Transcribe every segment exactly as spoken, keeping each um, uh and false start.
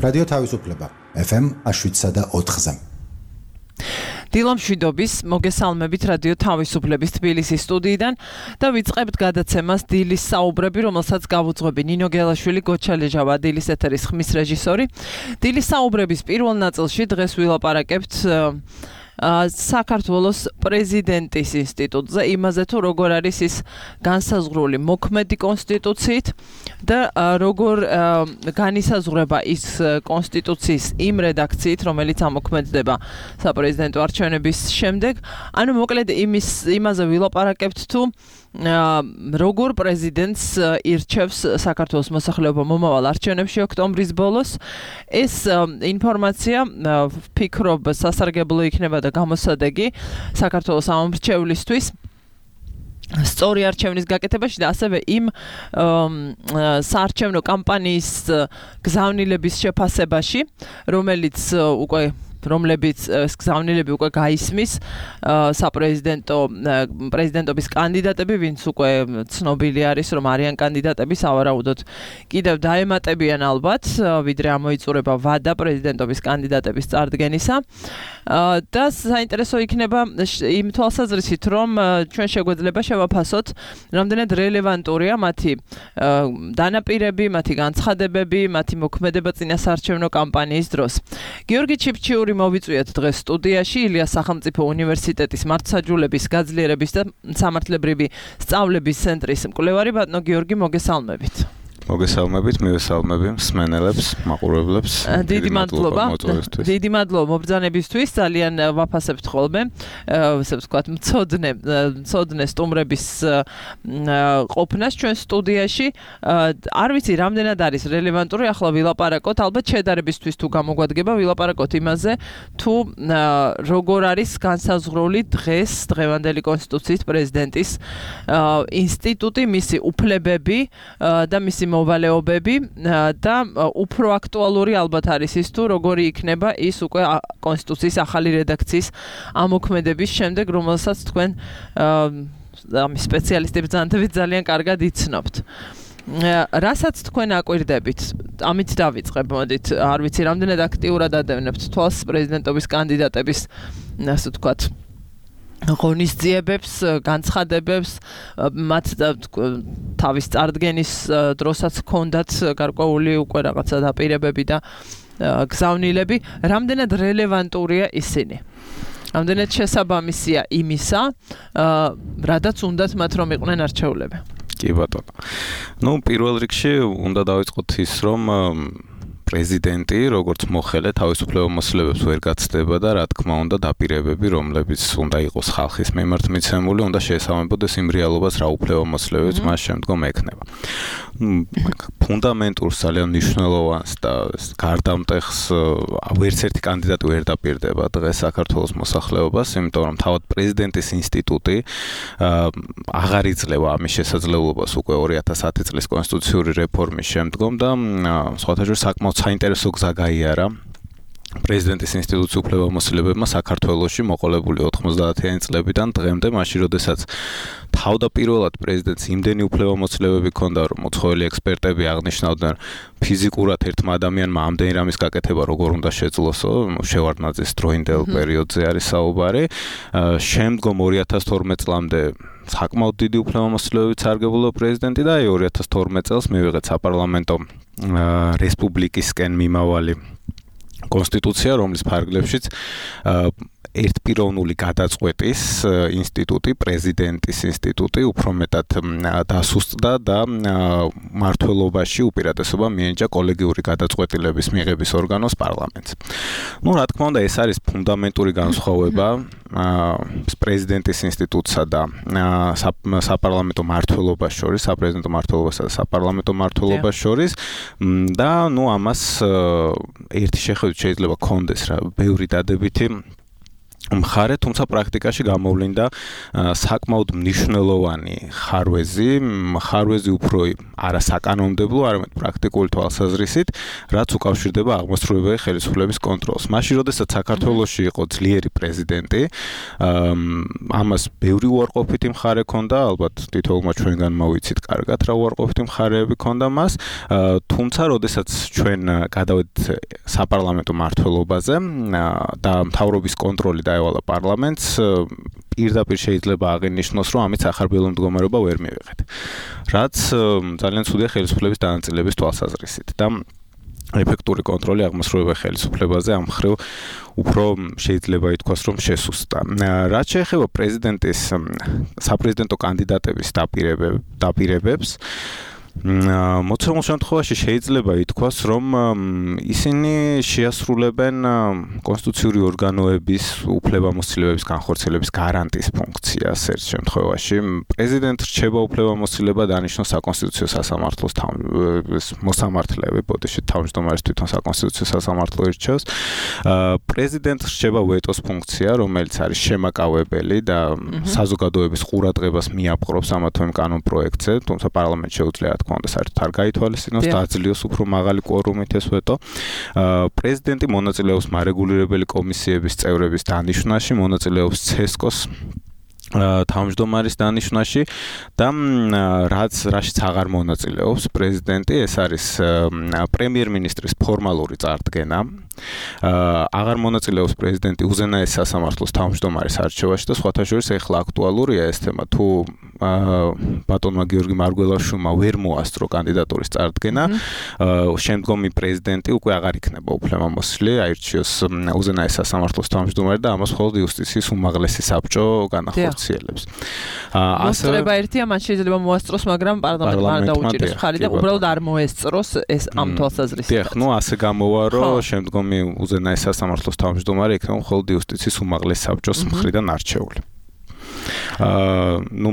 რადიო თავისუფლება ეფ ემ შვიდსა და ოთხზე. დილამშვიდობის მოგესალმებით რადიო თავისუფლების თბილისის სტუდიიდან და ვიწყებთ გადაცემას დილის საუბრები, რომელსაც გავუძღვები ნინო გელაშვილი, გოჩა ლეჟავა, დილის ეთერის ხმის რეჟისორი. დილის საუბრების პირველ ნაწილში დღეს ვილაპარაკებთ საქართველოს პრეზიდენტის ინსტიტუტზე, იმაზე თუ როგორ არის ის განსაზღვრული მოქმედი კონსტიტუციით და როგორ განისაზღვრება ის კონსტიტუციის იმ რედაქციით, რომელიც ამოქმედდება საპრეზიდენტო არჩევნების შემდეგ. ანუ მოკლედ იმის იმაზე ვილაპარაკებთ თუ როგორ პრეზიდენტს ირჩევს საქართველოს მოსახლეობა მომავალ არჩევნებში ოქტომბრის ბოლოს. ეს ინფორმაცია ვფიქრობ სასარგებლო იქნება და გამოსადეგი საქართველოს ამომრჩევლისთვის სწორი არჩევნის გაკეთებაში და ასევე იმ საარჩევნო კამპანიის გზავნილების შეფასებაში, რომელიც უკვე რომლებიც გზავნილები უკვე გაისმის საპრეზიდენტო პრეზიდენტობის კანდიდატები, ვინც უკვე ცნობილი არის, რომ არიან კანდიდატები, სავარაუდოდ კიდევ დაემატებიან ალბათ, ვიდრე ამოიწურება ვადა პრეზიდენტობის კანდიდატების წარდგენისა. და საინტერესო იქნება იმ თვალსაზრისით, რომ ჩვენ შეგვეძლება შევაფასოთ, რამდენად რელევანტურია მათი დანაპირები, მათი განცხადებები, მათი მოქმედება წინა საარჩევნო კამპანიის დროს. გიორგი ჩიფჩიური მოვიწვიეთ დღეს სტუდიაში, ილიას სახელმწიფო უნივერსიტეტის მართლმსაჯულების გაძლიერების და სამართლებრივი სწავლების ცენტრის მკვლევარი. ბატონო გიორგი, მოგესალმებით. მოგესალმებით, მივესალმები მსმენელებს, მაყურებლებს. დიდი მადლობა. დიდი მადლობა მობრძანებისთვის, ძალიან ვაფასებთ ხოლმე, ასე ვთქვათ, მცოდნე, მცოდნე სტუმრების ყოფნას ჩვენ სტუდიაში. არ ვიცი, რამდენად არის რელევანტური, ახლა ვილაპარაკოთ, ალბათ შედარებისთვის თუ გამოგვადგება, ვილაპარაკოთ იმაზე, თუ როგორ არის განსაზღვრული დღეს დღევანდელი კონსტიტუციის პრეზიდენტის ინსტიტუტი, მისი უფლებები და მისი მოვალეობები და უფრო აქტუალური ალბათ არის ის თუ როგორი იქნება ის უკვე კონსტიტუციის ახალი რედაქციის ამოქმედების შემდეგ, რომელსაც თქვენ ამის სპეციალისტები ძანთებით ძალიან კარგად იცნობთ. რასაც თქვენ აკვირდებით, ამით დავიწყებ, მოდით, არ ვიცი, რამდენად აქტიურად ადევნებთ თვალს პრეზიდენტობის კანდიდატების, ასე ვთქვათ, ღონისძიებებს, განცხადებებს, მათ თავის წარდგენის დროსაც ჰქონდათ გარკვეული უკვე რაღაცა დაპირებები და გზავნილები, რამდენად რელევანტურია ისინი. რამდენად შესაბამისია იმისა, რადაც უნდათ მათ რომ იყვნენ არჩეულები. კი ბატონო. ნუ პირველ რიგში უნდა დავიწყოთ ის, რომ პრეზიდენტი, როგორც მოხელე, თავისუფლებამოსილებებს ვერ გაცდება და რა თქმა უნდა დაპირებები, რომლებიც უნდა იყოს ხალხის მიმართ მიცემული, უნდა შეესაბამებოდეს იმ რეალობას, რა უფლებამოსილებებს მას შემდგომ ექნება. ფუნდამენტურს, ძალიან მნიშვნელოვანს და გარდამტეხს ვერც ერთი კანდიდატი ვერ დაპირდება დღეს საქართველოს მოსახლეობას, იმიტომ რომ თავად პრეზიდენტის ინსტიტუტი აღარ იძლევა ამის შესაძლებლობას უკვე ორი ათას ათი წლის კონსტიტუციური რეფორმის შემდგომ და სხვათა შორის საკმაოდ საინტერესო გზა გაიარა პრეზიდენტის ინსტიტუციის უფლებამოსილებებმა საქართველოში მოყოლებული ოთხმოცდაათიანი წლებიდან დღემდე, მაშინ როდესაც თავდაპირველად პრეზიდენტს იმდენი უფლებამოსილებები ჰქონდა, რომ უცხოელი ექსპერტები აღნიშნავდნენ, ფიზიკურად ერთმა ადამიანმა ამდენი რამის გაკეთება როგორ უნდა შეძლოსო, შევარდნაძის დროინდელ პერიოდზე არის საუბარი. შემდგომ ორი ათას თორმეტ წლამდე საკმაოდ დიდი უფლებამოსილებებით სარგებლობდა პრეზიდენტი და ორი ათას თორმეტ წელს მივიღეთ საპარლამენტო რესპუბლიკისკენ მიმავალი კონსტიტუცია, რომლის ფარგლებშიც ერთპიროვნული გადაწყვეტის ინსტიტუტი, პრეზიდენტის ინსტიტუტი უფრო მეტად დასუსტდა და მმართველობაში უპირატესობა მიენიჭა კოლეგიური გადაწყვეტილების მიღების ორგანოს პარლამენტს. ნუ რა თქმა უნდა, ეს არის ფუნდამენტური განსხვავება პრეზიდენტის ინსტიტუტსა და საპარლამენტო მმართველობას შორის, საპრეზიდენტო მმართველობასა და საპარლამენტო მმართველობას შორის და ნუ ამას ერთი შეხედვით შეიძლება კონდეს რა, ბევრი დადებითი მხარე, თუმცა პრაქტიკაში გამოვლინდა საკმაოდ მნიშვნელოვანი ხარვეზი, ხარვეზი უფრო არასაკანონმდებლო, არამედ პრაქტიკული თვალსაზრისით, რაც უკავშირდება აღმასრულებელ ხელისუფლების კონტროლს. მაშინ, როდესაც საქართველოში იყო ძლიერი პრეზიდენტი, ამას ბევრი უარყოფითი მხარე ჰქონდა, ალბათ თითოეულმა ჩვენგან მოვიცით კარგად რა უარყოფითი მხარეები ჰქონდა მას, თუმცა, როდესაც ჩვენ გადავედით საპარლამენტო მმართველობაზე და მთავრობის კონტროლი დაევალა პარლამენტს, პირდაპირ შეიძლება აღინიშნოს, რომ ამით სახარბიელო მდგომარეობა ვერ მივიღეთ. რაც ძალიან ცუდია ხელისუფლების დანაწილების თვალსაზრისით და ეფექტური კონტროლი აღმასრულებელ ხელისუფლებაზე ამ მხრივ უფრო შეიძლება ითქვას, რომ შესუსტა. რაც შეეხება პრეზიდენტის საპრეზიდენტო კანდიდატების დაპირებებს, მოცემულ შემთხვევაში შეიძლება ითქვას, რომ ისინი შეასრულებენ კონსტიტუციური ორგანოების უფლებამოსილების განხორციელების გარანტიის ფუნქციას ერთ შემთხვევაში. პრეზიდენტ რჩება უფლებამოსილება დანიშნოს საკონსტიტუციო სასამართლოს მოსამართლეები, ბოდიში თავმჯდომარის თვითონ საკონსტიტუციო სასამართლო ირჩევს. პრეზიდენტ რჩება ვეტოს ფუნქცია, რომელიც არის შემაკავებელი და საზოგადოების ყურადღებას მიაპყრობს ამა თუ იმ კანონ პროექტზე, თუმცა პარლამენტში შეუძლია კონდა საერთოდ არ გაითვალისწინოს, დააძლიოს უფრო მაღალი კვორუმით ეს ვეტო. პრეზიდენტი მონაწილეობს მარეგულირებელი კომისიების წევრების დანიშვნაში, მონაწილეობს ცესკოს თავმჯდომარის დანიშვნაში და რაც რაშიც აღარ მონაწილეობს პრეზიდენტი, ეს არის პრემიერ-მინისტრის ფორმალური წარდგენა. აღარ მონაწილეობს პრეზიდენტი უზენაეს სასამართლოს თავმჯდომარის არჩევაში და სხვათა შორის ეხლა აქტუალურია ეს თემა, თუ ბატონმა გიორგი მარგველაშვილმა ვერ მოასწრო კანდიდატურის წარდგენა, შემდგომი პრეზიდენტი უკვე აღარ იქნება უფლებამოსილი, აირჩიოს უზენაეს სასამართლოს თავმჯდომარე და ამას მხოლოდ იუსტიციის უმაღლესი საბჭო განახორციელებს. მოსწრება ერთია, მათ შეიძლება მოასწროს, მაგრამ პარლამენტმა არ დაუჭიროს მხარი და უბრალოდ არ მოესწროს ეს ამ თვალსაზრისით. დიახ, ნუ ასე გამოვა, რომ შემდგომი უზენაეს სასამართლოს თავმჯდომარე იქნება მხოლოდ იუსტიციის უმაღლეს საბჭოს მხრიდან არჩეული. აა, ნუ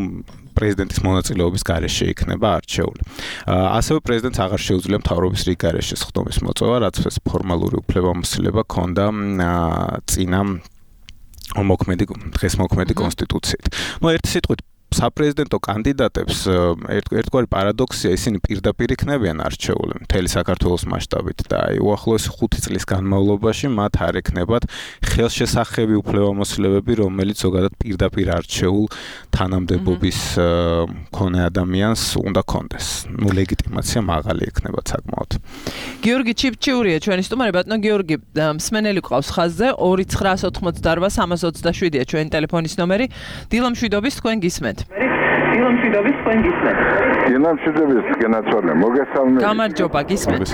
პრეზიდენტის მონაწილეობის გარეშე იქნება არჩეული. ასევე პრეზიდენტს აღარ შეუძლია მთავრობის რიგ გარეშე სხდომის მოწვევა, რაც ეს ფორმალური უფლებამოსილება ჰქონდა წინა მოქმედი დღეს მოქმედი კონსტიტუციით. ნუ ერთი სიტყვით საპრეზიდენტო კანდიდატებს ერთგვარი პარადოქსია, ისინი პირდაპირ იქნებიან არჩეული მთელი საქართველოს მასშტაბით და აი უახლოესი ხუთი წლის განმავლობაში მათ არ ექნებათ ხელშესახები უფლებამოსილებები, რომელიც ზოგადად პირდაპირ არჩეულ თანამდებობის მქონე ადამიანს უნდა კონდეს. ნუ ლეგიტიმაცია მაღალი ექნებათ საკმაოდ. გიორგი ჩიფჩიურია ჩვენი სტუმარი. ბატონო გიორგი, მსმენელი ყავს ხაზზე ორი ცხრა ოცდაოთხ სამას ოცდაშვიდია ჩვენი ტელეფონის ნომერი. დილამშვიდობის, თქვენ გისმენთ. დილამშვიდობის, თქვენ გისმენთ. დილამშვიდობის, გენაცვალე, მოგესალმებით. გამარჯობა, გისმენთ.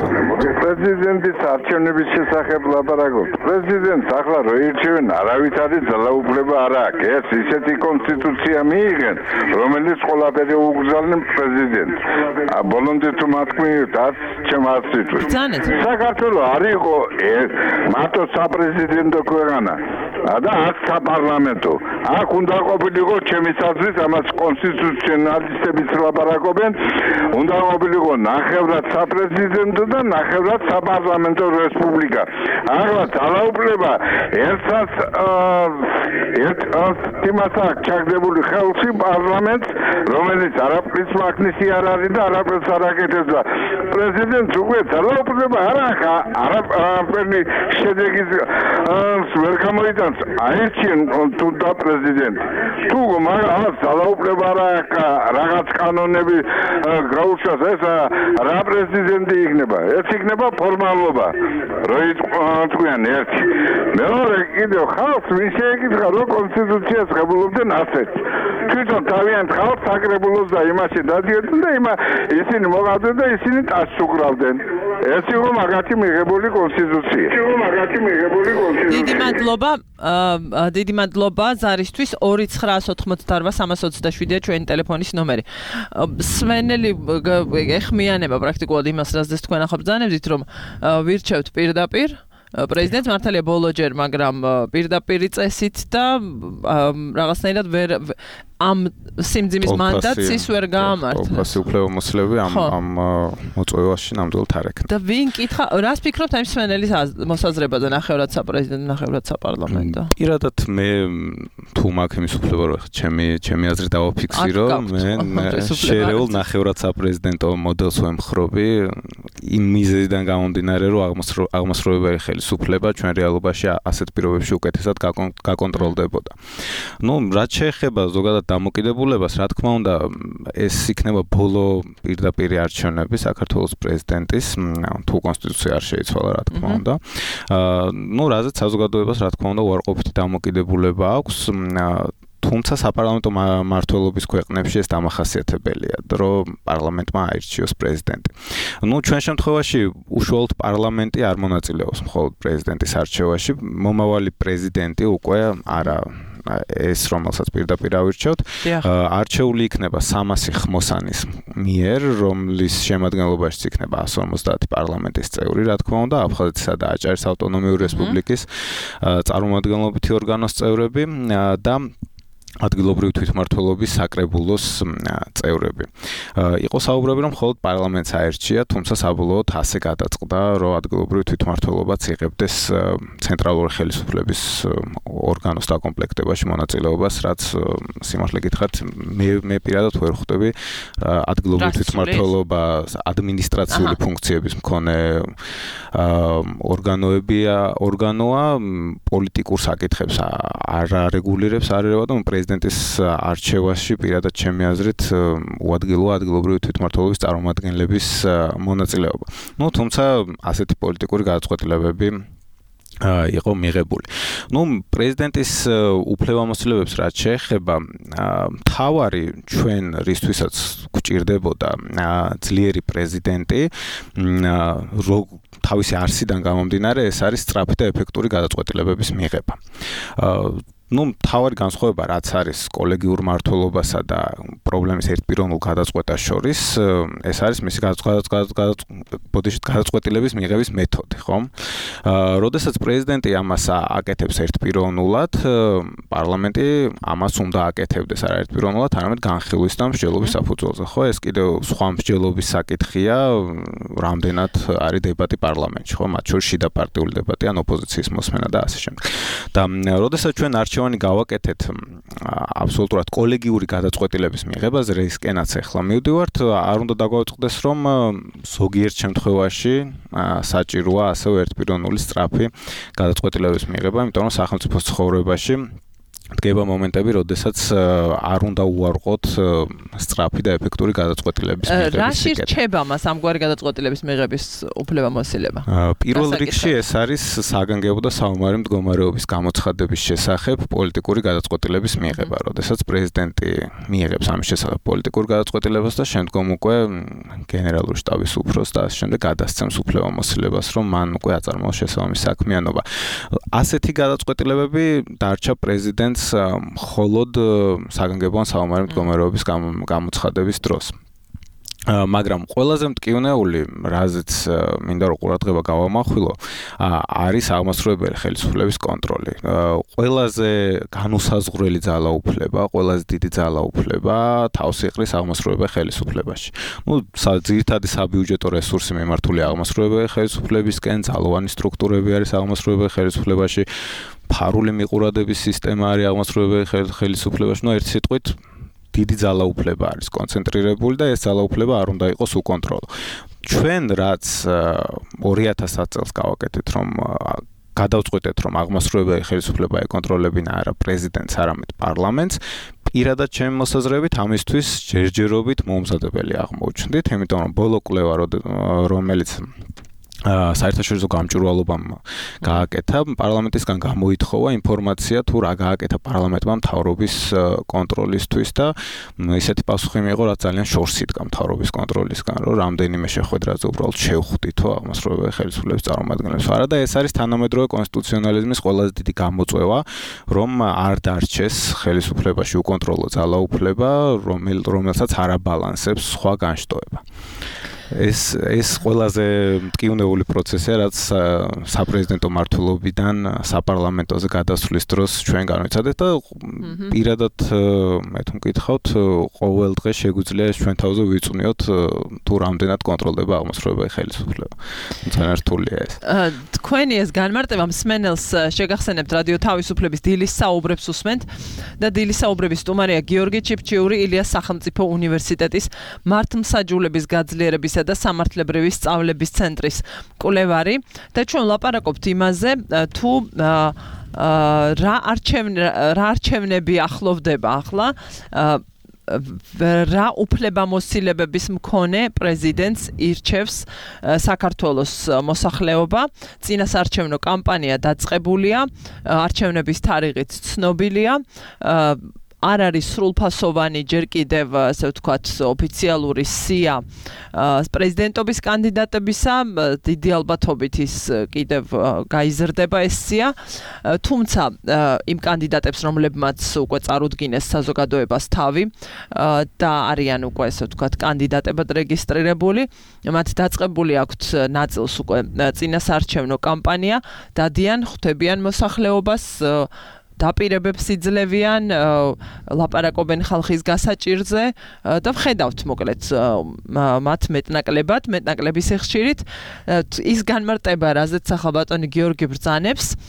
პრეზიდენტის არჩევნების შესახებ ლაპარაკობთ. პრეზიდენტს ახლა რო ირჩევენ, არავითარი ძალაუფლება არ აქვს. ეს ისეთი კონსტიტუცია მიიღენ, რომელიც ყველაფერი უგზავნեն პრეზიდენტს. ა ბოლომდე თუ მათქმით, არც ჩემ არც სიტყვით. საქართველო არ იყო მარტო საპრეზიდენტო ქვეყანა და არც საპარლამენტო. აქ უნდა ყოფილიყო ჩემი საზრით, ამას კონსტიტუციონალისტებიც ლაპარაკობენ, უნდა ყოფილიყო ნახევრად საპრეზიდენტო და ნახევრად საპარლამენტო რესპუბლიკა. ახლა ძალაუფლება ერთსაც ერთ იმას აქვს ჩაგდებული ხელში პარლამენტს, რომელიც არაფრის მაქნისი არ არის და არაფერს არ აკეთებს და პრეზიდენტს უკვე ძალაუფლება არ აქვს, არაფერი შედეგის ვერ გამოიტანს, აირჩიენ თუნდა პრეზიდენტი. თუ მაგას ძალაუფლება არ აქვს, რაღაც კანონები გაუშვას, ეს რა პრეზიდენტი იქნება? ეს იქნება ფორმალობა. რო თქვენ ერთი. მეორე კიდევ ხალხს ვის შეეკითხა, რომ კონსტიტუციას ღებულობდნენ ასეთ. თვითონ თავიანთ ხალხს აკრებულოს და იმაში დადიოდნენ და იმა ისინი მოყავდნენ და ისინი ტასს უკრავდნენ. ეს იყო მაგათი მიღებული კონსტიტუცია. ეს იყო მაგათი მიღებული კონსტიტუცია. დიდი მადლობა, დიდი მადლობა ზარისთვის. ორი ცხრა ოცდაოთხ სამას ოცდაშვიდია ჩვენი ტელეფონის ნომერი. სვენელი ეხმიანება პრაქტიკულად იმას, რასაც თქვენ ახლა ბრძანებდით, რომ ვირჩევთ პირდაპირ პრეზიდენტს, მართალია ბოლოჯერ, მაგრამ პირდაპირი წესით და რაღაცნაირად ვერ ამ სიმძიმის მანდატს ის ვერ გაამართლებს. თვალსი უფლებამოსილები ამ ამ მოწვევაში ნამდვილად არ ექნება. და ვინ კითხა, რას ფიქრობთ ამ მსმენელის მოსაზრებაზე ნახევრად საპრეზიდენტო, ნახევრად საპარლამენტო? პირადად მე თუ მაქვს იმის უფლება რომ ჩემი ჩემი აზრი დავაფიქსირო, მე შერეულ ნახევრად საპრეზიდენტო მოდელს ვემხრობი იმ მიზეზიდან გამომდინარე რომ აღმასრულებელი ხელისუფლება ჩვენ რეალობაში ასეთ პირობებში უკეთესად გაკონტროლდებოდა. ნუ რაც შეეხება ზოგადად დამოკიდებულებას, რა თქმა უნდა, ეს იქნება ბოლო პირდაპირ არჩევნები საქართველოს პრეზიდენტის, თუ კონსტიტუცია არ შეიცვალა, რა თქმა უნდა. აა, ნუ რაზეც საზოგადოებას, რა თქმა უნდა, უარყოფითი დამოკიდებულება აქვს. თუმცა საპარლამენტო მმართველობის ქვეყნებში ეს დამახასიათებელია, რომ პარლამენტმა აირჩიოს პრეზიდენტი. ნუ ჩვენ შემთხვევაში უშუალოდ პარლამენტი არ მონაწილეობს მხოლოდ პრეზიდენტის არჩევაში, მომავალი პრეზიდენტი უკვე არა ეს რომელსაც პირდაპირ ავირჩევთ, არჩეული იქნება სამასი ხმოსანის მიერ, რომლის შემადგენლობაშიც იქნება εκατს ორმოცდაათი პარლამენტის წევრი, რა თქმა უნდა, აფხაზეთისა და აჭარის ავტონომიური რესპუბლიკის წარმომადგენლობითი ორგანოს წევრები და ადგილობრივი თვითმმართველობის საკრებულოს წევრები. იყო საუბრები, რომ მხოლოდ პარლამენტს აერჩია, თუმცა საბოლოოდ ასე გადაწყდა, რომ ადგილობრივი თვითმმართველობაც იღებდეს ცენტრალური ხელისუფლების ორგანოს დაკომპლექტებაში მონაწილეობას, რაც სიმართლე გითხრათ, მე მე პირადად ვერ ხვდები ადგილობრივი თვითმმართველობა ადმინისტრაციული ფუნქციების მქონე ორგანოებია, ორგანოა პოლიტიკურ საკითხებს არ არეგულირებს, არ ერევა და პრეზიდენტის არჩევაში პირადად ჩემი აზრით უადგილოა ადგილობრივი თვითმმართველობის წარმომადგენლების მონაწილეობა. ნუ თუმცა ასეთი პოლიტიკური გადაწყვეტილებები იყო მიღებული. ნუ პრეზიდენტის უფლებამოსილებებს რაც შეეხება, მთავარი ჩვენ რისთვისაც გვჭირდებოდა ძლიერი პრეზიდენტი, თავისი არსიდან გამომდინარე, ეს არის სწრაფი და ეფექტური გადაწყვეტილებების მიღება. ნუ მთავარი განსხვავება რაც არის კოლეგიურ მმართველობასა და პრობლემის ერთპიროვნულ გადაწყვეტას შორის, ეს არის მისი გადაწყვეტილების მიღების მეთოდი, ხომ? როდესაც პრეზიდენტი ამას აკეთებს ერთპიროვნულად, პარლამენტი ამას უნდა აკეთებდეს არა ერთპიროვნულად, არამედ განხილვის და მსჯელობის საფუძველზე, ხო? ეს კიდევ სხვა მსჯელობის საკითხია, რამდენად არის დებატი პარლამენტში, ხო? მათ შორის შიდა პარტიული დებატი ან ოპოზიციის მოსმენა და ასე შემდეგ. და როდესაც ჩვენ არჩევანი გავაკეთეთ აბსოლუტურად კოლეგიური გადაწყვეტილების მიღებაზე, რისკენაც ახლა მივდივართ, არ უნდა დაგვაწყდეს, რომ ზოგიერთ შემთხვევაში საჭიროა ასევე ერთპიროვნული სწრაფი გადაწყვეტილების მიღება, იმიტომ რომ სახელმწიფოს ცხოვრებაში დგება მომენტები, როდესაც არ უნდა უარყოთ სწრაფი და ეფექტური გადაწყვეტილების მიღების სიკეთე. რაში რჩება მას ამგვარი გადაწყვეტილების მიღების უფლებამოსილება? პირველ რიგში ეს არის საგანგებო და საომარი მდგომარეობის გამოცხადების შესახებ პოლიტიკური გადაწყვეტილების მიღება, როდესაც პრეზიდენტი მიიღებს ამის შესახებ პოლიტიკურ გადაწყვეტილებას და შემდგომ უკვე გენერალური შტაბის უფროსს და ასე შემდეგ გადასცემს უფლებამოსილებას, რომ მან უკვე აწარმოოს შესაბამისი საქმიანობა. ასეთი გადაწყვეტილებები დარჩა პრეზიდენტს მხოლოდ საგანგებო ან საომარი მდგომარეობის გამოცხადების დროს. მაგრამ ყველაზე მტკივნეული, რაზეც მინდა რომ ყურადღება გავამახვილო, არის აღმასრულებელი ხელისუფლების კონტროლი. ყველაზე განუსაზღვრელი ძალაუფლება, ყველაზე დიდი ძალაუფლება თავს იყრის აღმასრულებელი ხელისუფლებაში. ნუ ძირითადი საბიუჯეტო რესურსი მიმართულია აღმასრულებელი ხელისუფლებისკენ, ძალოვანი სტრუქტურები არის აღმასრულებელი ხელისუფლებაში, ფარული მიყურადების სისტემა არის აღმასრულებელი ხელისუფლებაში, ნუ ერთი სიტყვით დიდი ძალაუფლება არის კონცენტრირებული და ეს ძალაუფლება არ უნდა იყოს უკონტროლო. ჩვენ რაც ორი ათას წელს გავაკეთეთ, რომ გადავწყვეტეთ, რომ აღმასრულებელი ხელისუფლება ეკონტროლებინა არა პრეზიდენტს, არამედ პარლამენტს, პირადად ჩემი მოსაზრებით ამისთვის ჯერჯერობით მომზადებელი აღმოჩნდით, იმიტომ რომ ბოლო კვლევა, რომელიც საერთაშორისო გამჭვირვალობამ გააკეთა, პარლამენტისგან გამოითხოვა ინფორმაცია თუ რა გააკეთა პარლამენტმა მთავრობის კონტროლისთვის და ისეთი პასუხი მიიღო, რაც ძალიან შორს იდგა მთავრობის კონტროლისგან, რომ რამდენიმე შეხვედრაზე უბრალოდ შევხვდითო აღმასრულებელი ხელისუფლების წარმომადგენლებს. არა და ეს არის თანამედროვე კონსტიტუციონალიზმის ყველაზე დიდი გამოწვევა, რომ არ დარჩეს ხელისუფლებაში უკონტროლო ძალაუფლება, რომელსაც არ აბალანსებს სხვა განშტოება. ეს ეს ყველაზე მტკივნეული პროცესია, რაც საპრეზიდენტო მმართველობიდან საპარლამენტოზე გადასვლის დროს ჩვენ განვიცადეთ და პირადად მე თუ მკითხავთ, ყოველ დღე შეგვიძლია ჩვენ თავზე ვიწვნიოთ თუ რამდენად კონტროლდება აღმასრულებელი ხელისუფლება. თუმცა რთულია ეს. თქვენი ეს განმარტება მსმენელს შეგახსენებთ რადიო თავისუფლების დილის საუბრებს უსმენთ და დილის საუბრების სტუმარია გიორგი ჩიფჩიური, ილიას სახელმწიფო უნივერსიტეტის მართლმსაჯულების გაძლიერებისა და სამართლებრივი სწავლების ცენტრის კვლევარი და ჩვენ ვლაპარაკობთ იმაზე თუ რა არჩევნები ახლოვდება ახლა რა უფლებამოსილებების მქონე პრეზიდენტს ირჩევს საქართველოს მოსახლეობა. წინასარჩევნო კამპანია დაწყებულია, არჩევნების თარიღიც ცნობილია. არ არის სრულფასოვანი ჯერ კიდევ ასე ვთქვათ ოფიციალური სია პრეზიდენტობის კანდიდატებისა, დიდი ალბათობით ის კიდევ გაიზრდება ეს სია, თუმცა იმ კანდიდატებს რომლებმაც უკვე წარუდგინეს საზოგადოებას თავი და არიან უკვე ასე ვთქვათ კანდიდატებად რეგისტრირებული, მათ დაწყებული აქვთ ნაწილს უკვე წინასარჩევნო კამპანია, დადიან, ხვდებიან მოსახლეობას, დაპირებებს იძლევიან, ლაპარაკობენ ხალხის გასაჭირზე და ვხედავთ მოკლედ მათ მეტნაკლებად, მეტნაკლების ხშირით ის განმარტება, რაზეც ახალბატონი გიორგი ბრძანებს,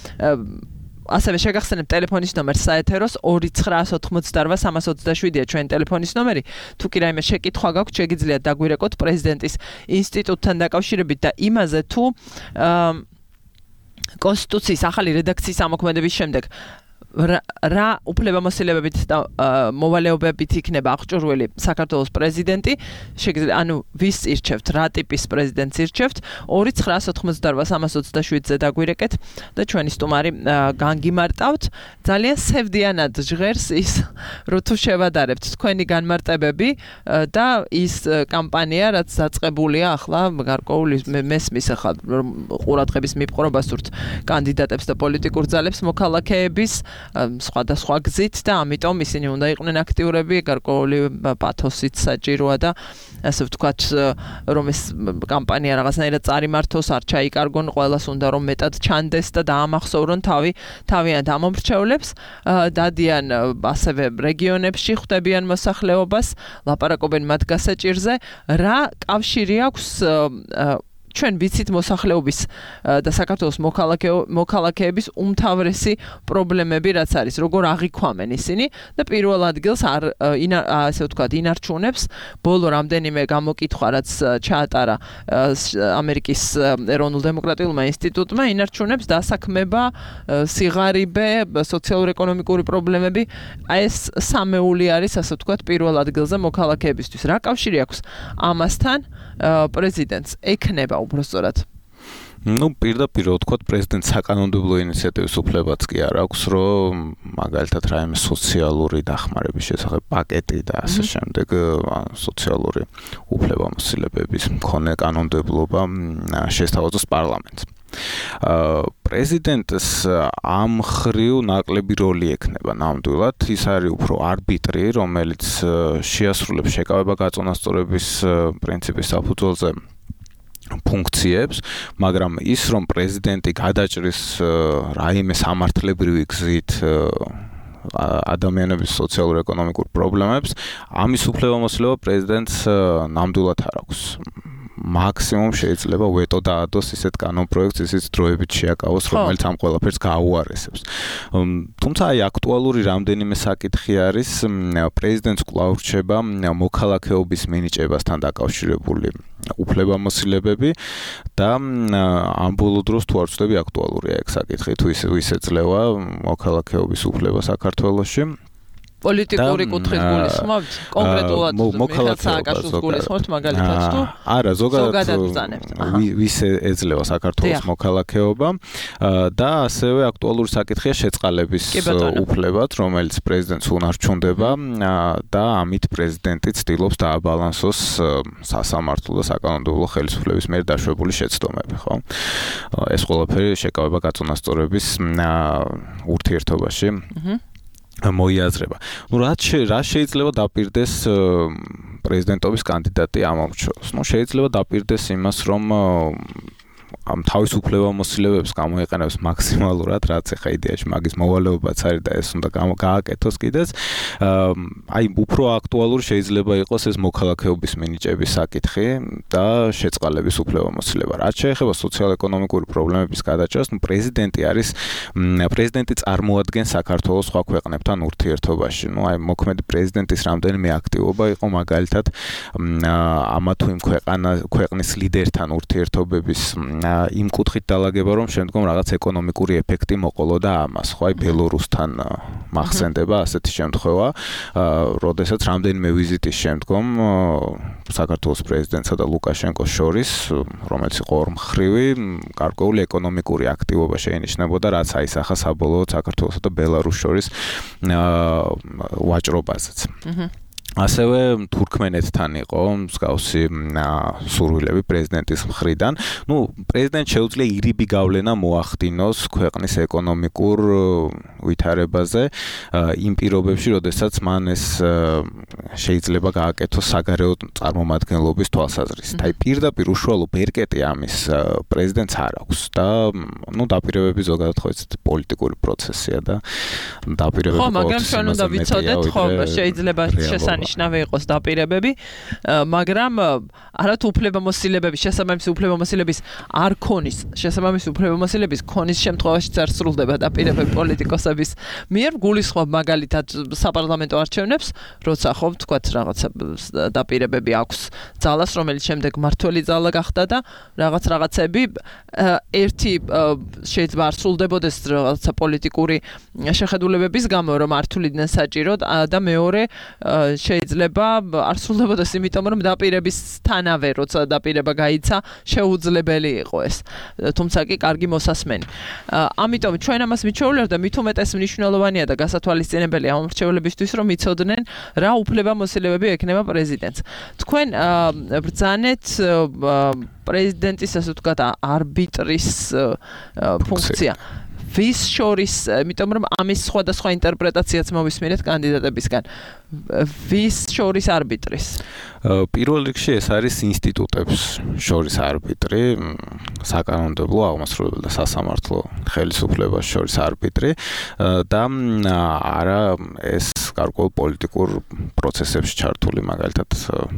ასევე შეგახსენებთ ტელეფონის ნომერს საეთეროს ორი ცხრაას ოთხმოცდაორვა სამას ოცდაშვიდია ჩვენი ტელეფონის ნომერი. თუ კი რაიმე შეკითხვა გაქვთ, შეგიძლიათ დაგვირეკოთ პრეზიდენტის ინსტიტუტთან დაკავშირებით და იმაზე თუ კონსტიტუციის ახალი რედაქციის ამოქმედების შემდეგ რა უფლებამოსილებებით და მოვალეობებით იქნება აღჭურვილი საქართველოს პრეზიდენტი, შეგიძლიათ ანუ ვის ირჩევთ, რა ტიპის პრეზიდენტს ირჩევთ, ორი ცხრაას ოთხმოცდაორვა სამას ოცდაშვიდზე დაგვირეკეთ და ჩვენი სტუმარი განგიმარტავთ. ძალიან სევდიანად ჟღერს ის, როთუ შევადარებთ თქვენი განმარტებები და ის კამპანია, რაც დაწყებულია ახლა გარკვეული მესმის ახლა ყურადღების მიპყრობა სურთ კანდიდატებს და პოლიტიკურ ძალებს მოქალაქეების სხვადასხვა გზით და ამიტომ ისინი უნდა იყვნენ აქტიურები, გარკვეული პათოსით საჭიროა და ასე ვთქვათ, რომ ეს კამპანია რაღაცნაირად წარიმართოს, არ ჩაიკარგონ, ყველას უნდა რომ მეტად ჩანდეს და დაამახსოვრონ თავი თავიანთ ამომრჩევლებს, დადიან ასევე რეგიონებში, ხვდებიან მოსახლეობას, ლაპარაკობენ მათ გასაჭირზე, რა კავშირი აქვს ჩვენ ვიცით მოსახლეობის და საქართველოს მოქალაქეების უმთავრესი პრობლემები რაც არის, როგორ აღიქვამენ ისინი და პირველ ადგილს არ ასე ვთქვათ ინარჩუნებს ბოლო რამდენიმე გამოკითხვა რაც ჩაატარა ამერიკის ეროვნულ დემოკრატიულმა ინსტიტუტმა, ინარჩუნებს დასაქმება, სიღარიბე, სოციალურ-ეკონომიკური პრობლემები, ეს სამეული არის ასე ვთქვათ პირველ ადგილზე მოქალაქეებისთვის. რა კავშირი აქვს ამასთან პრეზიდენტს ექნება უბრალოდ? ну პირდაპირ ვთქვათ პრეზიდენტს საკანონმდებლო ინიციატივის უფლებაც კი არ აქვს, რომ მაგალითად რაიმე სოციალური დახმარების შესახებ პაკეტი და ასე შემდეგ სოციალური უფლებამოსილებების მქონე კანონმდებლობა შესთავაზოს პარლამენტს. პრეზიდენტს ამ ხრივ ნაკლები როლი ექნება ნამდვილად, ის არის უფრო არბიტრი, რომელიც შეასრულებს შეკავება გაწონასწორების პრინციპის საფუძველზე ფუნქციებს, მაგრამ ის რომ პრეზიდენტი გადაჭრის რაიმე სამართლებრივი გზით ადამიანების სოციალურ-ეკონომიკურ პრობლემებს, ამის უფლებამოსილება პრეზიდენტს ნამდვილად არ აქვს. მაქსიმუმ შეიძლება ვეტო დაადოს ისეთ კანონპროექტს, ისიც დროებით შეაკავოს, რომელიც ამ ყველაფერს გააუარესებს. თუმცა აი აქტუალური რამდენიმე საკითხი არის, პრეზიდენტს კვლავ რჩება მოქალაქეობის მინიჭებასთან დაკავშირებული უფლებამოსილებები და ამ ბოლო დროს თუ არ ვცდები აქტუალურია ეგ საკითხი, თუ ის ეძლევა მოქალაქეობის უფლება საქართველოში. პოლიტიკური კუთხით გულისხმობთ? კონკრეტულად მიხეილ სააკაშვილს გულისხმობთ მაგალითად თუ? არა, ზოგადად ვის ეძლევა საქართველოს მოქალაქეობა და ასევე აქტუალური საკითხია შეწყალების უფლებაც, რომელიც პრეზიდენტს უნარჩუნდება და ამით პრეზიდენტი ცდილობს დააბალანსოს სასამართლო და საკანონმდებლო ხელისუფლების მიერ დაშვებული შეცდომები, ხო? ეს ყველაფერი შეკავება გაწონასწორების ურთიერთობაში. მოიაზრება. Ну, რა რა შეიძლება დაპირდეს პრეზიდენტობის კანდიდატი ამორჩეოს. ნუ შეიძლება დაპირდეს იმას, რომ ამ თავისუფლებამოსილებებს გამოიყენებს მაქსიმალურად, რაც ახლა იდეაში მაგის მოვალეობაც არის და ეს უნდა გააკეთოს კიდეც. აი, უფრო აქტუალური შეიძლება იყოს ეს მოქალაქეობის მინიჭების საკითხი და შეწყალების უფლებამოსილება. რაც შეეხება სოციალ-ეკონომიკური პრობლემების გადაჭრას, ნუ პრეზიდენტი არის პრეზიდენტი წარმოადგენს საქართველოს სხვა ქვეყნებთან ურთიერთობაში. ნუ აი, მოქმედი პრეზიდენტის რამდენიმე აქტივობა იყო მაგალითად ამა თუ იმ ქვეყანა ქვეყნის ლიდერთან ურთიერთობების იმ კუთხით დალაგება, რომ შემდგომ რაღაც ეკონომიკური ეფექტი მოყოლოდა ამას, ხო, აი ბელორუსთან მახსენდება ასეთი შემთხვევა, როდესაც რამდენიმე ვიზიტის შემდგომ საქართველოს პრეზიდენტსა და ლუკაშენკოს შორის, რომელიც იყო ორმხრივი, გარკვეული ეკონომიკური აქტივობა შეინიშნებოდა, რაც აისახა საბოლოოდ საქართველოსა და ბელარუსს შორის ვაჭრობაზეც. ასევე თურქმენეთთან იყო მსგავსი სურვილები პრეზიდენტის მხრიდან. ნუ პრეზიდენტს შეუძლია ირიბი გავლენა მოახდინოს ქვეყნის ეკონომიკურ ვითარებაზე იმ პირობებში, როდესაც მან ეს შეიძლება გააკეთოს საგარეო წარმომადგენლობის თვალსაზრისით. აი პირდაპირ უშუალო ბერკეტი ამის პრეზიდენტს არ აქვს და ნუ დაპირებები ზოგადად ხო ეს პოლიტიკური პროცესია და დაპირებები ხო, მაგრამ ჩვენ უნდა ვიცოდეთ, ხო, შეიძლება შესაძლოა ნიშნავი იყოს დაპირებები, მაგრამ არათ უფლებამოსილებები, შესაბამისი უფლებამოსილების არ ქონის, შესაბამისი უფლებამოსილების ქონის შემთხვევაშიც არ სრულდება დაპირებები პოლიტიკოსების მიერ. გულისხმობ მაგალითად საპარლამენტო არჩევნებს, როცა ხო ვთქვათ რაღაცა დაპირებები აქვს ძალას, რომელიც შემდეგ მართველი ძალა გახდა და რაღაც რაღაცები ერთი შეიძლება არ სრულდებოდეს რაღაცა პოლიტიკური შეხედულებების გამო, რომ არ თuliდნენ საჭიროდ და მეორე შეიძლება არ სრულდებოდეს იმიტომ, რომ დაპირებისთანავე, როცა დაპირება გაიცა, შეუძლებელი იყო ეს. თუმცა კი კარგი მოსასმენი. ამიტომ ჩვენ ამას მიჩვეულებ და მით უმეტეს მნიშვნელოვანია და გასათვალისწინებელი ამ მრჩევლებისთვის, რომ იცოდნენ რა უფლებამოსილებები ექნება პრეზიდენტს. თქვენ ბრძანეთ პრეზიდენტის ასე ვთქვათ არბიტრის ფუნქცია. ვის შორის, იმიტომ რომ ამის სხვადასხვა ინტერპრეტაციაც მოვისმინეთ კანდიდატებისგან. ვის შორის არბიტრის? პირველ რიგში ეს არის ინსტიტუტებს შორის არბიტრი, საკანონმდებლო, აღმასრულებელ და სასამართლო ხელისუფლებას შორის არბიტრი და არა ეს გარკვეულ პოლიტიკურ პროცესებში ჩართული, მაგალითად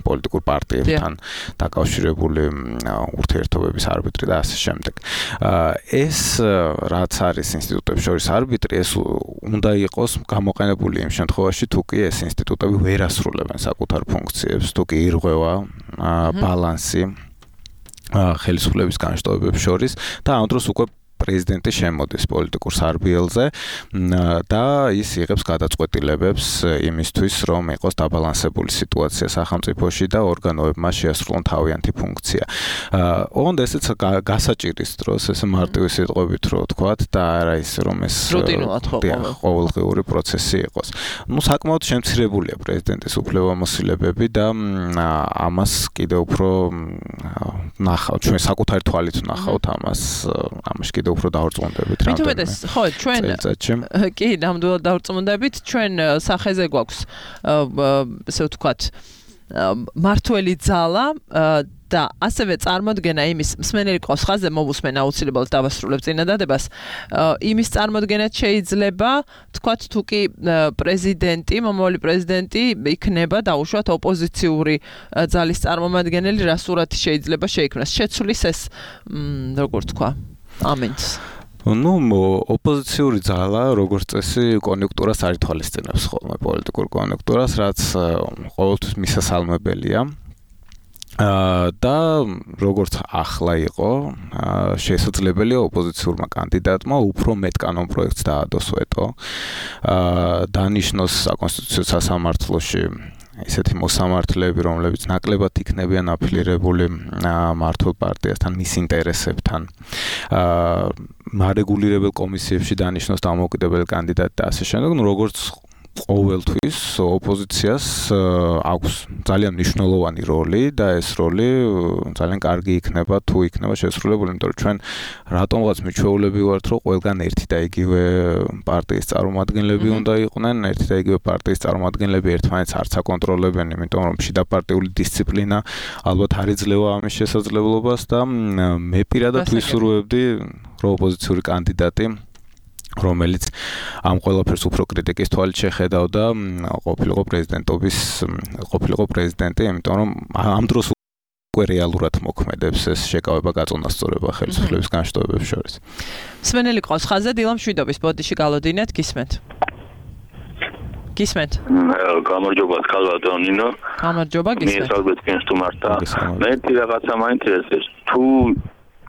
პოლიტიკურ პარტიებთან დაკავშირებული ურთიერთობების არბიტრი და ასე შემდეგ. ეს რაც არის ინსტიტუტებს შორის არბიტრი, ეს უნდა იყოს გამოყენებული იმ შემთხვევაში, თუ კი ეს ინსტიტუტები ვერ ასრულებენ საკუთარ ფუნქციებს, თუ კი ირღვევა ბალანსი ხელისუფლების განშტოებებს შორის და ამ დროს უკვე პრეზიდენტი შემოდის პოლიტიკურ სარბიელზე და ის იღებს გადაწყვეტილებებს იმისთვის, რომ იყოს დაბალანსებული სიტუაცია სახელმწიფოში და ორგანოებმა შეასრულონ თავიანთი ფუნქცია. ოღონდ ესეც გასაჭირის დროს, ესე მარტივი სიტყვებით რო ვთქვათ და არა ის რომ ეს ყოველდღიური პროცესი იყოს. ნუ საკმაოდ შემცირებულია პრეზიდენტის უფლებამოსილებები და ამას კიდევ უფრო ნახავთ, ჩვენ საკუთარი თვალით ნახავთ ამას, ამაში კიდევ უფრო დავრწმუნდებით რა. მით უმეტეს, ხო, ჩვენ კი, ნამდვილად დავრწმუნდებით, ჩვენ სახეზე გვაქვს ესე ვთქვათ მართველი ძალა და ასევე წარმოდგენა იმის მსმენელი ყავს ხაზზე მოვუსმენ აუცილებლად დავასრულებ წინადადებას. იმის წარმოდგენაც შეიძლება თქვათ თუ კი პრეზიდენტი, მომავალი პრეზიდენტი იქნება დაუშვათ ოპოზიციური ძალის წარმომადგენელი, რა სურათი შეიძლება შეიქმნას. შეცვლის ეს როგორ თქვა? ამენს. ნუ ოპოზიციური ძალა როგორც წესი კონიუნქტურას არ ითვალისწინებს ხოლმე პოლიტიკურ კონიუნქტურას, რაც ყოველთვის მისასალმებელია. და როგორც ახლა იყო, შესაძლებელია ოპოზიციურმა კანდიდატმა უფრო მეტ კანონპროექტს დაადოს ვეტო. დანიშნოს საკონსტიტუციო სასამართლოში ესეთი მოსამართლეები, რომლებიც ნაკლებად იქნებიან აფილირებული მართულ პარტიასთან, მის ინტერესებთან. მარეგულირებელ კომისიებში დანიშნოს დამოუკიდებელი კანდიდატი და ასე შემდეგ. ნუ როგორც ყოველთვის ოპოზიციას აქვს ძალიან მნიშვნელოვანი როლი და ეს როლი ძალიან კარგი იქნება თუ იქნება შესრულებული, იმიტომ რომ ჩვენ რატომღაც მიჩვეულები ვართ, რომ ყველგან ერთი და იგივე პარტიის წარმომადგენლები უნდა იყვნენ, ერთი და იგივე პარტიის წარმომადგენლები ერთმანეთს არც აკონტროლებენ, იმიტომ რომ შიდაპარტიული დისციპლინა ალბათ არ იძლევა ამის შესაძლებლობას და მე პირადად ვისურვებდი, რომ ოპოზიციური კანდიდატი რომელიც ამ ყველაფერს უფრო კრიტიკის თვალით შეხედავდა ყოფილიყო პრეზიდენტობის ყოფილიყო პრეზიდენტი, იმიტომ რომ ამ დროს უკვე რეალურად მოქმედებს ეს შეკავება გაწონასწორება ხელისუფლების განშტოებებს შორის. მსმენელი ყავს ხაზზე დილა მშვიდობის ბოდიში გალოდინეთ, გისმენთ. გისმენთ. გამარჯობა, კალვატონინო. გამარჯობა, გისმენთ. მე საუბრობ თქვენს თუ მარტა. მე რაღაცა მაინტერესებს თუ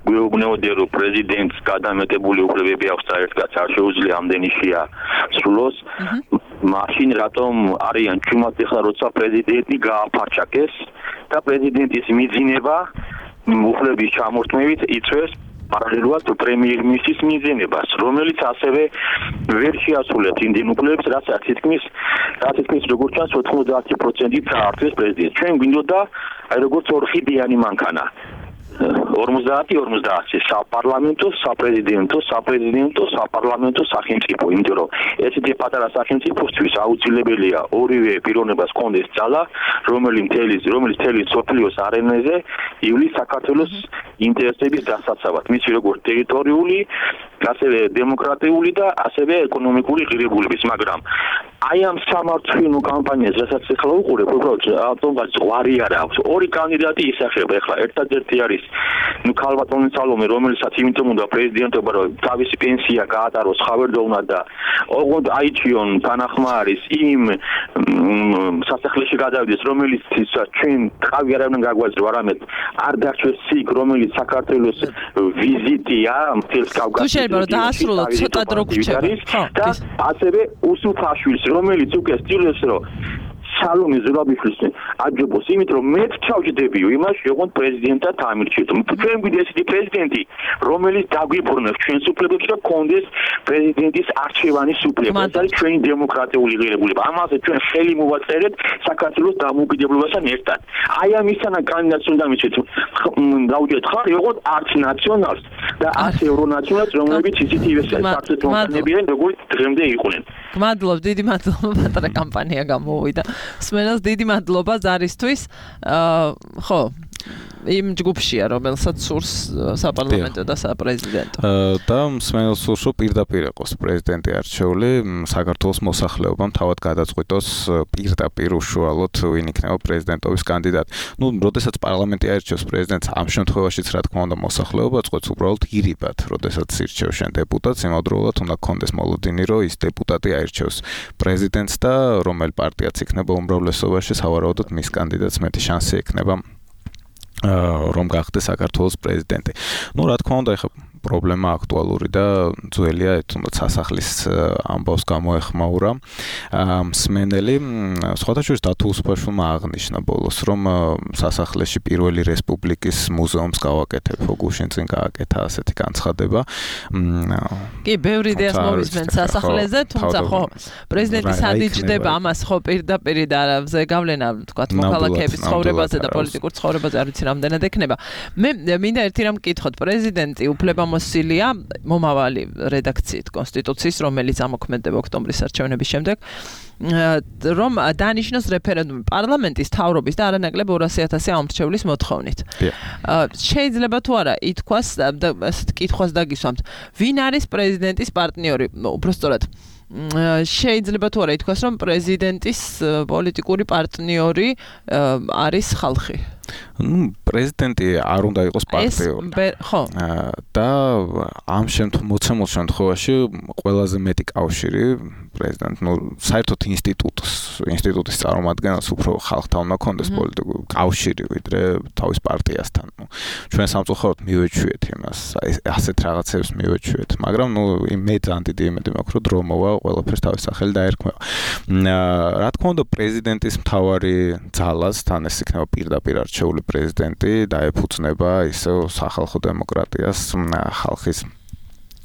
გვეუბნებოდი რომ პრეზიდენტს გადამეტებული უფლებები აქვს საერთოდ არ შეუძლია ამდენი შია სრულოს მაშინ რატომ არიან ჩუმად ეხლა როცა პრეზიდენტი გააფარჩაკეს და პრეზიდენტის მიძინება უფლების ჩამორთმევით იწვევს პარალელურად პრემიერ-მინისტრის მიძინებას, რომელიც ასევე ვერ შეასრულებს იმდენ უფლებებს, რასაც თითქმის რაც თითქმის როგორც ჩანს ოთხმოცდაათი პროცენტით წაართვეს პრეზიდენტს. ჩვენ გვინდოდა აი როგორც ორხიდიანი მანქანა ორმოცდაათი ორმოცდაათი საპარლამენტო, საპრეზიდენტო, საპრეზიდენტო, საპარლამენტო სახელმწიფო, იმიტომ რომ ესეთი პატარა სახელმწიფოსთვის აუცილებელია ორივე პიროვნებას კონდეს ძალა, რომელიც მთელი რომელიც მთელი სოფლიოს არენაზე ივლის საქართველოს ინტერესების დასაცავად, მის როგორც ტერიტორიული, ასევე დემოკრატიული და ასევე ეკონომიკური ღირებულების, მაგრამ აი ამ სამართლიანო კამპანიას, რასაც ახლა უყურებ, უბრალოდ ავტომატ ზღვარი არ აქვს. ორი კანდიდატი ისახება, ახლა ერთადერთი არის ნუ ქალბატონი სალომე, რომელსაც იმიტომ უნდა პრეზიდენტობა, რომ თავისი პენსია გაატაროს ხავერდოვნად და ოღონდ აიჩიონ თანახმა არის იმ სასახლეში გადავიდეს, რომელიც ჩვენ თავი არ უნდა გაგვაძლო, არამედ არ დარჩეს იქ, რომელიც საქართველოს ვიზიტია მთელს კავკასიაში. შეიძლება დაასრულოთ ცოტა დრო გრჩება. და ასევე უსუფაშვილს, რომელიც უკვე სტილებს რომ სალომე ზურაბიშვილს აჯობოს, იმიტომ რომ მე ჩავჯდებიო იმაში, რომ პრეზიდენტად ამირჩიოთ. ჩვენ გვიდგა ესეთი პრეზიდენტი, რომელიც დაგვიბრუნებს ჩვენს უფლებებს და კონდეს პრეზიდენტის არჩევანის უფლება. ეს არის ჩვენი დემოკრატიული ღირებულება. ამაზე ჩვენ ხელი მოვაწერეთ საქართველოს დამოუკიდებლობასთან ერთად. აი ამისთანა კანდიდატს უნდა მიცეთ, დავუჯერეთ ხარ, როგორც არც ნაციონალს და არც ევრონაციონალს, რომლებიც ისეთი საქართველოსანებიან, როგორც დღემდე იყვნენ. გმადლობ, დიდი მადლობა, პატარა კამპანია გამოვიდა. სმენელს დიდი მადლობა ზარისთვის. ხო, იმ ჯგუფშია, რომელსაც სურს საპარლამენტო და საპრეზიდენტო. და მსმენელს სურს, რომ პირდაპირ იყოს პრეზიდენტი არჩეული, საქართველოს მოსახლეობამ თავად გადაწყვიტოს პირდაპირ უშუალოდ ვინ იქნება პრეზიდენტობის კანდიდატი. ნუ, როდესაც პარლამენტი აირჩევს პრეზიდენტს, ამ შემთხვევაშიც რა თქმა უნდა მოსახლეობა წყვეტს უბრალოდ ირიბად, როდესაც ირჩევს შენ დეპუტატს, იმავდროულად უნდა გქონდეს მოლოდინი, რომ ის დეპუტატი აირჩევს პრეზიდენტს და რომელ პარტიაც იქნება უმრავლესობაში, სავარაუდოდ მის კანდიდატს მეტი შანსი ექნება რომ გახდეს საქართველოს პრეზიდენტი. ნუ რა თქმა უნდა, ეხლა პრობლემა აქტუალური და ძველია, თუნდაც სასახლის ამბავს გამოეხმაურა მსმენელი. სხვათა შორის დათო უსუფაშვილმა აღნიშნა ბოლოს, რომ სასახლეში პირველი რესპუბლიკის მუზეუმს გავაკეთებ, გუშინ წინ გააკეთა ასეთი განცხადება. კი, ბევრი იდეას მოვისმენთ სასახლეზე, თუმცა ხო, პრეზიდენტი სადიჯდება ამას ხო პირდაპირ და ზეგავლენა, თქვა, მოქალაქეების ცხოვრებაზე და პოლიტიკურ ცხოვრებაზე არ ვიცი რამდენად ექნება. მე მინდა ერთი რამ მკითხოთ, პრეზიდენტი უფლება მოსილია მომავალი რედაქციით კონსტიტუციის, რომელიც ამოქმედება ოქტომბრის არჩევნების შემდეგ, რომ დანიშნოს რეფერენდუმი პარლამენტის თავრობის და არანაკლებ ორასი ათასი ამორჩევლის მოთხოვნით. შეიძლება თუ არა ითქვას, ასეთ კითხვას დაგისვამთ, ვინ არის პრეზიდენტის პარტნიორი, უბრალოდ შეიძლება თუ არა ითქვას, რომ პრეზიდენტის პოლიტიკური პარტნიორი არის ხალხი. ნუ პრეზიდენტი არ უნდა იყოს პარტიული. ხო. და ამ შემთხვევაში შემთხვევაში ყველაზე მეტი კავშირი პრეზიდენტ, ნუ საერთოდ ინსტიტუტს, ინსტიტუტის წარმომადგენელს უფრო ხალხთან უნდა ქონდეს პოლიტიკური კავშირი, ვიდრე თავის პარტიასთან. ნუ ჩვენ სამწუხაროდ მივეჩვიეთ იმას, აი ასეთ რაღაცებს მივეჩვიეთ, მაგრამ ნუ მე ძალიან დიდი იმედი მაქვს, რომ დრო მოვა, ყველაფერს თავის სახელი დაერქმევა. რა თქმა უნდა, პრეზიდენტის მთავარი ძალას თან ეს იქნება პირდაპირ არჩეული პრეზიდენტი დაეფუძნება ისევ სახალხო დემოკრატიას, ხალხის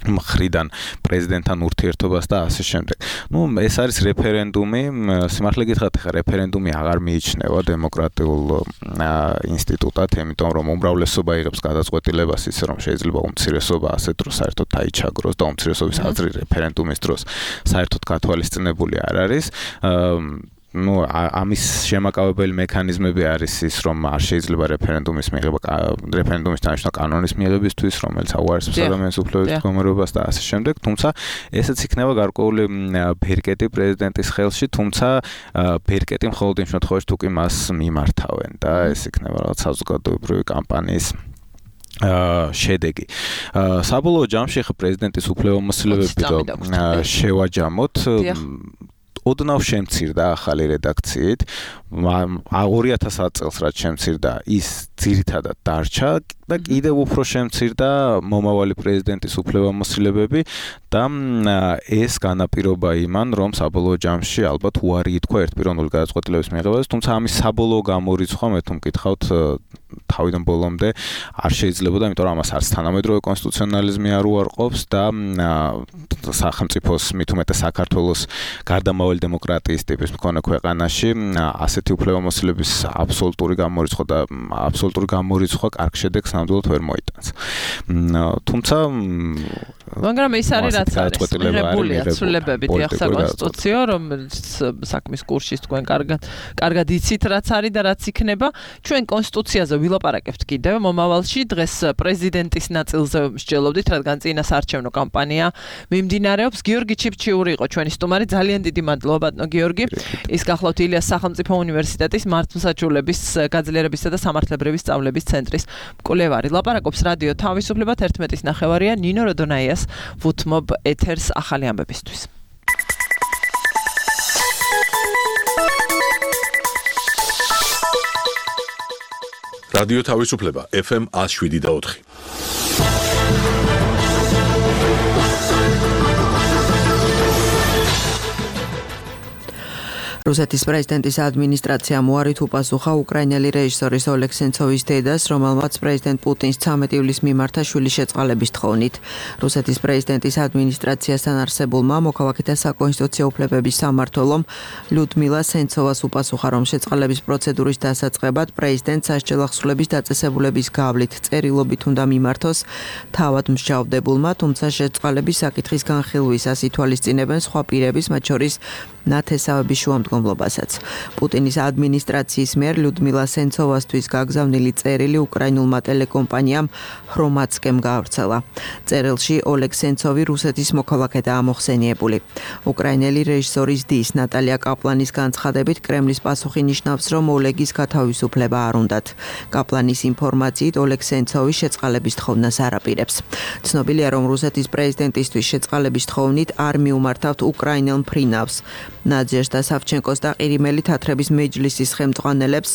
მხრიდან პრეზიდენტთან ურთიერთობას და ასე შემდეგ. ნუ ეს არის რეფერენდუმი, სიმართლე გითხრათ, ხა რეფერენდუმი აღარ მიიჩნევა დემოკრატიულ ინსტიტუტად, იმიტომ რომ უმრავლესობა იღებს გადაწყვეტილებას ისე რომ შეიძლება უმცირესობა ასეთ დროს საერთოდ დაიჩაგროს და უმცირესობის აზრი რეფერენდუმის დროს საერთოდ გათვალისწინებული არ არის. ნუ ამის შემაკავებელი მექანიზმები არის ის, რომ არ შეიძლება რეფერენდუმის მიღება რეფერენდუმის დანიშნა კანონის მიღებისთვის, რომელიც აუარესებს ადამიანის უფლებების მდგომარეობას და ასე შემდეგ, თუმცა ესეც იქნება გარკვეული ბერკეტი პრეზიდენტის ხელში, თუმცა ბერკეტი მხოლოდ იმ შემთხვევაში თუ კი მას მიმართავენ და ეს იქნება რაღაც საზოგადოებრივი კამპანიის შედეგი. საბოლოო ჯამში ხა პრეზიდენტის უფლებამოსილებები შევაჯამოთ. ოდნავ შემცირდა ახალი რედაქციით. ორი ათასი წელს რაც შემცირდა, ის ძირითადად დარჩა და კიდევ უფრო შემცირდა მომავალი პრეზიდენტის უფლებამოსილებები და ეს განაპირობა იმან, რომ საბოლოო ჯამში ალბათ უარი ითქვა ერთპიროვნული გადაწყვეტილების მიღებაზე, თუმცა ამის საბოლოო გამორიცხვა მე თუ მკითხავთ თავიდან ბოლომდე არ შეიძლებოდა, იმიტომ რომ ამას არც თანამედროვე კონსტიტუციონალიზმი არ უარყოფს და სახელმწიფოს მით უმეტეს საქართველოს გარდამავალი დემოკრატიის ტიპის მქონე ქვეყანაში ასეთი უფლებამოსილების აბსოლუტური გამორიცხვა და აბსოლუტური გამორიცხვა კარგ შედეგს ნამდვილად ვერ მოიტანს. თუმცა მაგრამ ის არის რაც არის მიღებულია ცვლილებები დიახ საკონსტიტუციო, რომელიც საქმის კურსში თქვენ კარგად კარგად იცით რაც არის და რაც იქნება. ჩვენ კონსტიტუციაზე ვილაპარაკებთ კიდევ მომავალში, დღეს პრეზიდენტის ნაწილზე მსჯელობდით, რადგან წინა საარჩევნო კამპანია მიმდინარეობს. გიორგი ჩიფჩიური იყო ჩვენი სტუმარი, ძალიან დიდი მადლობა ბატონო გიორგი. ის გახლავთ ილიას სახელმწიფო უნივერსიტეტის მართლმსაჯულების გაძლიერებისა და სამართლებრივი სწავლების ცენტრის მკვლევარი. ლაპარაკობს რადიო თავისუფლება ერთმეტის ნახევარია. ნინო როდონაიას ვუთმობ ეთერს ახალი ამბებისთვის. რადიო თავისუფლება ეფ ემ one oh seven და four. რუსეთის პრეზიდენტის ადმინისტრაციამ უარით უპასუხა უკრაინელი რეჟისორის ოლეგ სენცოვის დედას, რომელმაც პრეზიდენტ პუტინს ცამეტი ივლისს მიმართა შვილის შეწყალების თხოვნით. რუსეთის პრეზიდენტის ადმინისტრაციასთან არსებულმა მოქალაქეთა საკონსტიტუციო უფლებების სამმართველომ ლიუდმილა სენცოვას უპასუხა, რომ შეწყალების პროცედურის დასაწყებად პრეზიდენტს სასჯელახსრულების დაწესებულების გავლით წერილობით უნდა მიმართოს თავად მსჯავრდებულმა, თუმცა შეწყალების საკითხის განხილვისას ითვალისწინებენ სხვა პირების, მათ შორის ნათესავების შუამდგომლობასაც. პუტინის ადმინისტრაციის მიერ ლიუდმილა სენცოვასთვის გაგზავნილი წერილი უკრაინულმა ტელეკომპანიამ ხრომატსკემ გაავრცელა. წერილში ოლეგ სენცოვი რუსეთის მოქალაქედაა მოხსენიებული. უკრაინელი რეჟისორის დის ნატალია კაპლანის განცხადებით კრემლის პასუხი ნიშნავს, რომ ოლეგის გათავისუფლება არ უნდათ. კაპლანის ინფორმაციით ოლეგ სენცოვი შეწყალების თხოვნას არ აპირებს. ცნობილია, რომ რუსეთის პრეზიდენტისთვის შეწყალების თხოვნით არ მიუმართავთ უკრაინელ მფრინავს. ნაძიეშთა სავჩენკოს და ყირიმელი თათრების მეჯლისის ხელმძღვანელებს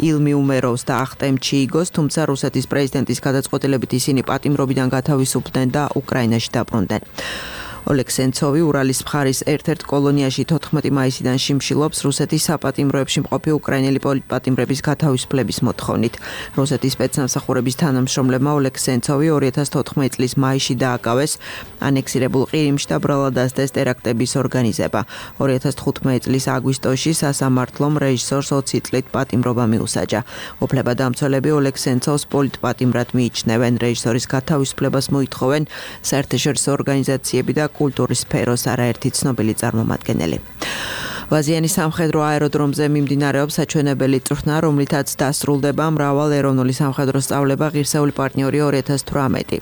ილმი უმეროვს და ახტემ ჩიიგოს, თუმცა რუსეთის პრეზიდენტის გადაწყვეტილებით ისინი პატიმრობიდან გათავისუფლდნენ და უკრაინაში დაბრუნდნენ. ოლეგ სენცოვი ურალის მხარის ერთ-ერთ კოლონიაში თოთხმეტი მაისიდან შიმშილობს რუსეთის საპატიმროებში მყოფი უკრაინელი პოლიტპატიმრების გათავისუფლების მოთხოვნით. რუსეთის სპეცნაზახურების თანამშრომლებმა ოლეგ სენცოვი ორი ათას თოთხმეტი წლის მაისში დააკავეს ანექსირებულ ყირიმში და ბრალად დასდეს ტერაქტების ორგანიზება. ორი ათას თხუთმეტი წლის აგვისტოში სასამართლომ რეჟისორს ოცი წლით პატიმრობა მიუსაჯა. უფლებადამცველები ოლეგ სენცოვს პოლიტპატიმრად მიიჩნევენ, რეჟისორის გათავისუფლებას მოითხოვენ საერთაშორისო ორგანიზაციები და კულტურის სფეროს არაერთი ცნობილი წარმომადგენელი. ვაზიანის სამხედრო აეროდრომზე მიმდინარეობს საჩვენებელი წვრთნა, რომლითაც დასრულდება მრავალ ეროვნული სამხედრო სწავლება ღირსეული პარტნიორი ორი ათას თვრამეტი.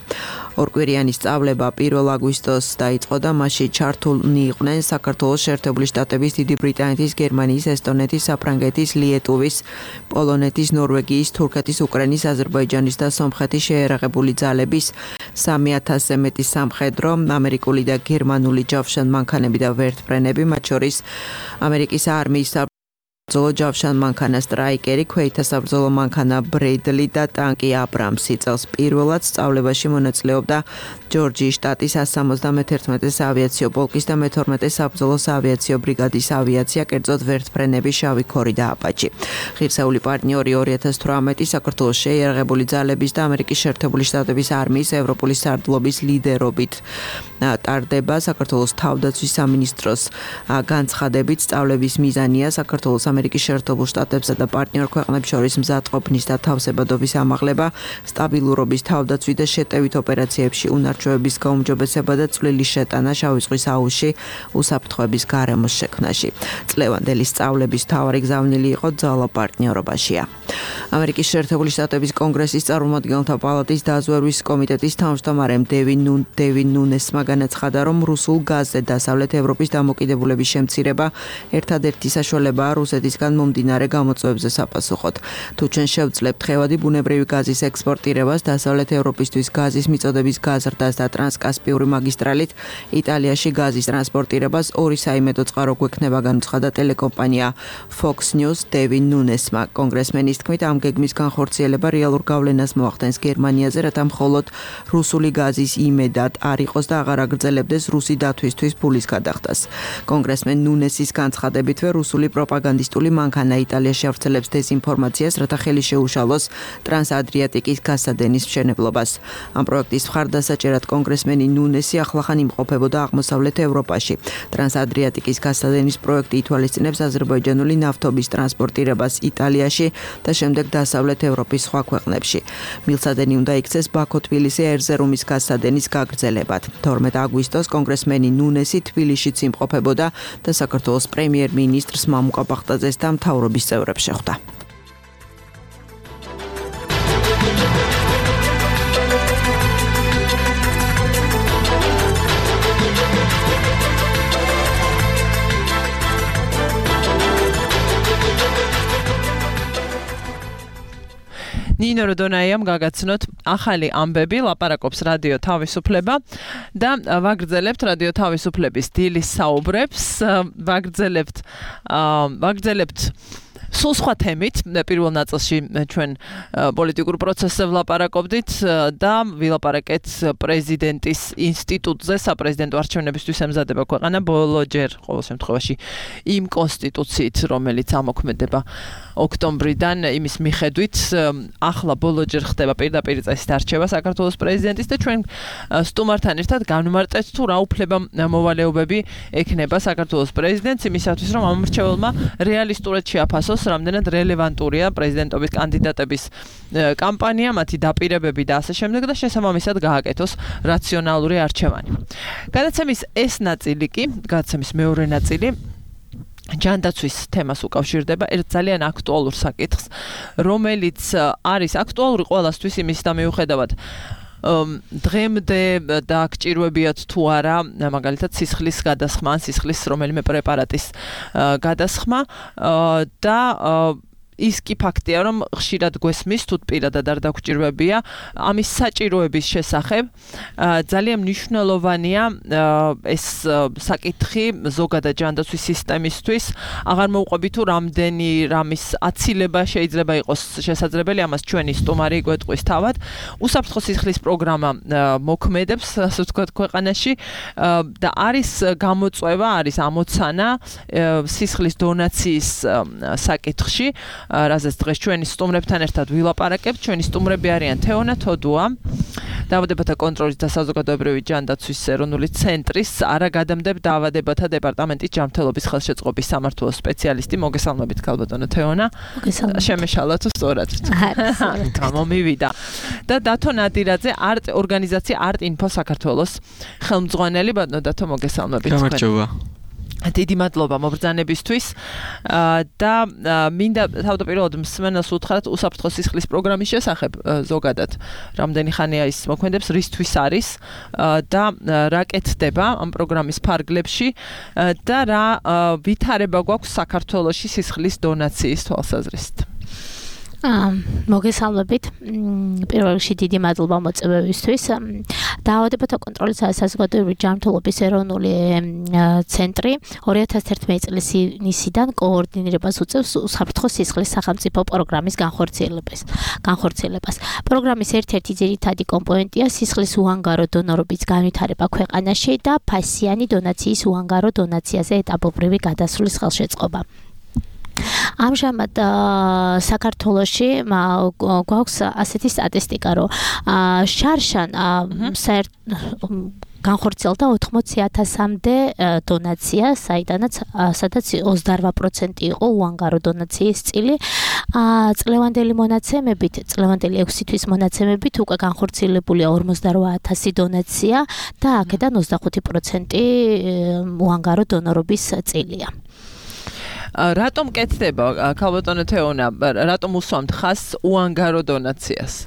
ორკვირიანი სწავლება პირველ აგვისტოს დაიწყო და მასში ჩართულნი იყვნენ საქართველოს შეერთებული შტატების, დიდი ბრიტანეთის, გერმანიის, ესტონეთის, საფრანგეთის, ლიეტუვის, პოლონეთის, ნორვეგიის, თურქეთის, უკრაინის, აზერბაიჯანის და სომხეთის შეერაღებული ძალების სამი ათასზე მეტი სამხედრო, ამერიკული და გერმანული ჯავშანმანქანები და ვერტმფრენები, მათ შორის ამერიკის არმიის საბრძოლო ჯავშან მანქანა სტრაიკერი, ქვეითა საბრძოლო მანქანა ბრედლი და ტანკი აბრამსი. წელს პირველად სწავლებაში მონაწილეობდა ჯორჯიის შტატის one seventy-one საავიაციო პოლკის და მეთორმეტე საბრძოლო საავიაციო ბრიგადის ავიაცია, კერძოდ ვერტმფრენები, შავი ქორი და აპაჩი. ღირსეული პარტნიორი two thousand eighteen საქართველოს შეიარაღებული ძალების და ამერიკის შეერთებული შტატების არმიის ევროპული სარდლობის ლიდერობით ტარდება. საქართველოს თავდაცვის სამინისტროს განცხადებით, სწავლების მიზანია საქართველოს ამერიკის შეერთებულ შტატებსა და პარტნიორ ქვეყნებს შორის მზადყოფნის და თავსებადობის ამაღლება, სტაბილურობის თავდაცვი და შეტევით ოპერაციებში უნარჩვევების გაუმჯობესება და წვლილი შეტანა შავი ზღვის აუზში უსაფრთხოების გარემოს შექმნაში. წლევანდელი სწავლების მთავარი გზავნილი იყო ძალა პარტნიორობაშია. ამერიკის შეერთებული შტატების კონგრესის წარმომადგენელთა პალატის დაზვერვის კომიტეტის თავმჯდომარემ დევინ ნუნ დევინ ნუნესმა განაცხადა, რომ რუსულ გაზზე დასავლეთ ევროპის დამოკიდებულების შემცირება ერთადერთი საშუალებაა რუსეთისგან მომდინარე გამოწვევებზე საპასუხოდ. თუ ჩვენ შევძლებთ ხევადი ბუნებრივი გაზის ექსპორტირებას, დასავლეთ ევროპისთვის გაზის მიწოდების გაზრდას და ტრანსკასპიური მაგისტრალით იტალიაში გაზის ტრანსპორტირებას ორი საიმედო წყარო გვექნება, განაცხადა ტელეკომპანია Fox News დევინ ნუნესმა. კონგრესმენის თქმით, ამ გეგმის განხორციელება რეალურ გავლენას მოახდენს გერმანიაზე, რათა მხოლოდ რუსული გაზის იმედად არ იყოს და აღარ აგრძელებდეს რუსი დათვისთვის ფულის გადახდას. კონგრესმენ ნუნესის განცხადებითვე რუსული პროპაგანდისტული მანქანა იტალიაში ავრცელებს დეზინფორმაციას, რათა ხელი შეუშალოს ტრანსადრიატიკის გასადენის მშენებლობას. ამ პროექტის მხარდასაჭერად კონგრესმენი ნუნესი ახლახან იმყოფებოდა აღმოსავლეთ ევროპაში. ტრანსადრიატიკის გასადენის პროექტი ითვალისწინებს აზერბაიჯანული ნავთობის ტრანსპორტირებას იტალიაში და შემდეგ დასავლეთ ევროპის სხვა ქვეყნებში. მილსადენი უნდა იქცეს ბაქო-თბილისი ერზერუმის გასადენის გაგრძელებად. თორმეტ აგვისტოს კონგრესმენი ნუნესი თბილისშიც იმყოფებოდა და საქართველოს პრემიერ-მინისტრს მამუკა ბახტაძეს და მთავრობის წევრებს შეხვდა. ნინო როდონაიამ გაგაცნოთ ახალი ამბები, ლაპარაკობს რადიო თავისუფლება და ვაგრძელებთ რადიო თავისუფლების დილის საუბრებს, ვაგრძელებთ ვაგრძელებთ სულ სხვა თემით. პირველ ნაწილში ჩვენ პოლიტიკურ პროცესზე ვლაპარაკობდით და ვილაპარაკეთ პრეზიდენტის ინსტიტუტზე, საპრეზიდენტო არჩევნებისთვის ემზადება ქვეყანა ბოლოჯერ ყოველ შემთხვევაში იმ კონსტიტუციით, რომელიც ამოქმედება ოქტომბრიდან, იმის მიხედვით ახლა ბოლოჯერ ხდება პირდაპირ წესით არჩევა საქართველოს პრეზიდენტის და ჩვენ სტუმართან ერთად განვმარტეთ თუ რა უფლება მოვალეობები ექნება საქართველოს პრეზიდენტს იმისათვის, რომ ამ მრჩეველმა რეალისტურად შეაფასოს რამდენად რელევანტურია პრეზიდენტობის კანდიდატების კამპანია, მათი დაპირებები და ასე შემდეგ და შესაბამისად გააკეთოს რაციონალური არჩევანი. გადაცემის ეს ნაწილი კი, გადაცემის მეორე ნაწილი ჯანდაცვის თემას უკავშირდება ერთ ძალიან აქტუალურ საკითხს, რომელიც არის აქტუალური ყველასთვის იმის და მიუხედავად დღემდე დააგჭირვებიათ თუ არა, მაგალითად სისხლის გადასხმა, სისხლის რომელიმე პრეპარატის გადასხმა და ის კი ფაქტია, რომ ხშირად გვესმის თუ პირადად არ დაგჭირვებია ამის საჭიროების შესახებ. ძალიან მნიშვნელოვანია ეს საკითხი ზოგადად ჯანდაცვის სისტემისთვის. აღარ მოვყვები თუ რამდენი რამის აცილება შეიძლება იყოს შესაძლებელი, ამას ჩვენი სტუმარი გვეტყვის თავად. უსაფრთხო სისხლის პროგრამა მოქმედებს, ასე ვთქვათ, ქვეყანაში და არის გამოწვევა, არის ამოცანა სისხლის დონაციის საკითხში. რაზეც დღეს ჩვენი სტუმრებთან ერთად ვილაპარაკებთ. ჩვენი სტუმრები არიან თეონა თოდუა, დაავადებათა კონტროლის და საზოგადოებრივი ჯანდაცვის ეროვნული ცენტრის არაგადამდებ დაავადებათა დეპარტამენტის ჯანმრთელობის ხელშეწყობის სამმართველოს სპეციალისტი. მოგესალმებით, ქალბატონო თეონა. მოგესალმებით. შემეშალა თუ სწორად? გამომივიდა. და დათო ნადირაძე, არტ ორგანიზაცია არტ ინფო საქართველოს ხელმძღვანელი. ბატონო დათო, მოგესალმებით. გამარჯობა. დიდი მადლობა მობრძანებისთვის და მინდა თავდაპირველად მსმენელს უთხრათ უსაფრთხო სისხლის პროგრამის შესახებ ზოგადად რამდენი ხანია ის მოქმედებს, რისთვის არის და რა კეთდება ამ პროგრამის ფარგლებში და რა ვითარება გვაქვს საქართველოში სისხლის დონაციის თვალსაზრისით. მოგესალმებით. პირველ რიგში დიდი მადლობა მოწვევისთვის. დაავადებათა კონტროლის საზოგადოებრივი ჯანმრთელობის ეროვნული ცენტრი ორი ათას ერთმეტი წლის ივნისიდან კოორდინირებას უწევს უსაფრთხო სისხლის სახელმწიფო პროგრამის განხორციელებას. განხორციელებას. პროგრამის ერთ-ერთი ძირითადი კომპონენტია სისხლის უანგარო დონორობის განვითარება ქვეყანაში და ფასიანი დონაციის უანგარო დონაციაზე ეტაპობრივი გადასვლის ხელშეწყობა. ამჟამად საქართველოში გვაქვს ასეთი სტატისტიკა, რომ შარშან განხორციელდა ოთხმოცი ათასამდე დონაცია, საიდანაც სადაც ოცდაოთხ პროცენტი იყო უანგარო დონაციის წილი. წლევანდელი მონაცემებით, წლევანდელი ექვსი თვის მონაცემებით უკვე განხორციელებულია ორმოცდაოთხ ათასი დონაცია და აქედან ოცდახუთი პროცენტი უანგარო დონორობის წილია. რატომ კეთდება ქალბატონო თეონა, რატომ უსვამთ ხაზს უანგარო დონაციას?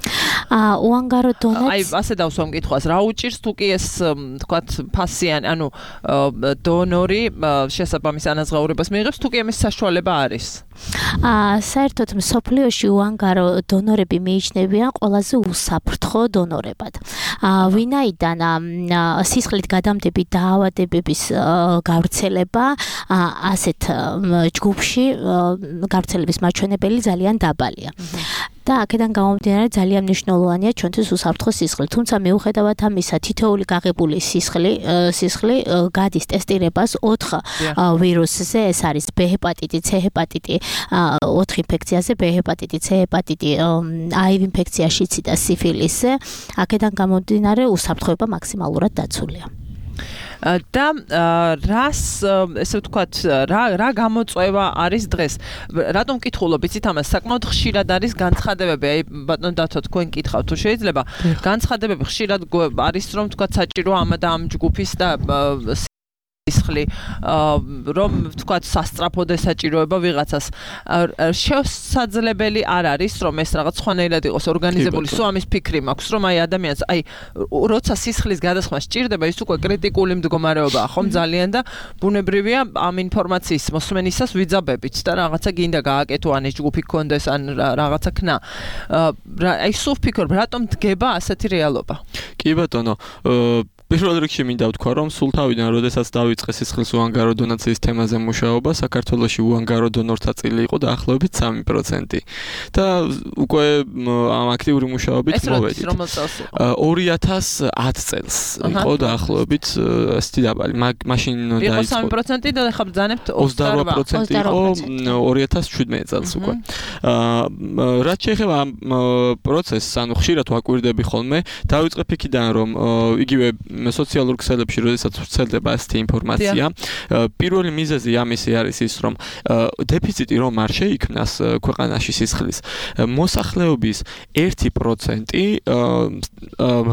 უანგარო დონაცია. აი, ასე დავსვამ კითხვას, რა უჭირს თუ კი ეს, თქვათ, ფასიანი, ანუ დონორი შესაბამის ანაზღაურებას მიიღებს, თუ კი ამის საშუალება არის? საერთოდ მსოფლიოში უანგარო დონორები მიიჩნევიან ყველაზე უსაფრთხო დონორებად. ვინაიდან სისხლით გადამდები დაავადებების გავრცელება ასეთ ჯგუფში გავრცელების მაჩვენებელი ძალიან დაბალია. და აქედან გამომდინარე ძალიან მნიშვნელოვანია ჩვენთვის უსაფრთხო სისხლი. თუმცა მიუხედავად ამისა, თითოეული გაღებული სისხლი სისხლი გადის ტესტირებას ოთხ ვირუსზე, ეს არის B ჰეპატიტი, C ჰეპატიტი, ოთხ ინფექციაზე, B ჰეპატიტი, C ჰეპატიტი, აივ ინფექცია, შიცი და სიფილისზე. აქედან გამომდინარე უსაფრთხოება მაქსიმალურად დაცულია. და რას ესე ვთქვათ რა რა გამოწვევა არის დღეს? რატომ მკითხულობ იცით ამას? საკმაოდ ხშირად არის განცხადებები, აი ბატონო დათო თქვენ კითხავთ თუ შეიძლება განცხადებები ხშირად არის რომ ვთქვათ საჭირო ამ და ამ ჯგუფის და სისხლი რომ ვთქვათ სასწრაფოდ ესაჭიროება ვიღაცას. შესაძლებელი არ არის რომ ეს რაღაც სხვანაირად იყოს ორგანიზებული. სულ ამის ფიქრი მაქვს რომ აი ადამიანს აი როცა სისხლის გადასხმა სჭირდება ის უკვე კრიტიკული მდგომარეობაა ხომ ძალიან და ბუნებრივია ამ ინფორმაციის მოსმენისას ვიძაბებით და რაღაცა გინდა გააკეთო ან ეს ჯგუფი გქონდეს ან რაღაცა ქნა. აი სულ ვფიქრობ რატომ დგება ასეთი რეალობა? კი ბატონო, პირველ რიგში მინდა ვთქვა, რომ სულ თავიდან, როდესაც დავიწყე სისხლის უანგარო დონაციის თემაზე მუშაობა, საქართველოში უანგარო დონორთა წილი იყო დაახლოებით სამი პროცენტი. და უკვე ამ აქტიური მუშაობით მოვედით. ორი ათას ათი წელს იყო დაახლოებით ასეთი დაბალი. მაშინ დაიწყო სამი პროცენტი და ახლა ბრძანებთ ოცდაოთხ პროცენტი იყო ორი ათას შვიდმეტი წელს უკვე. რაც შეეხება ამ პროცესს, ანუ ხშირად ვაკვირდები ხოლმე, დავიწყე იქიდან, რომ იგივე სოციალურ ქსელებში, როდესაც ვრცელდება ასეთი ინფორმაცია, პირველი მიზეზი ამისი არის ის, რომ დეფიციტი რომ არ შეიქმნას ქვეყანაში სისხლის, მოსახლეობის ერთი პროცენტი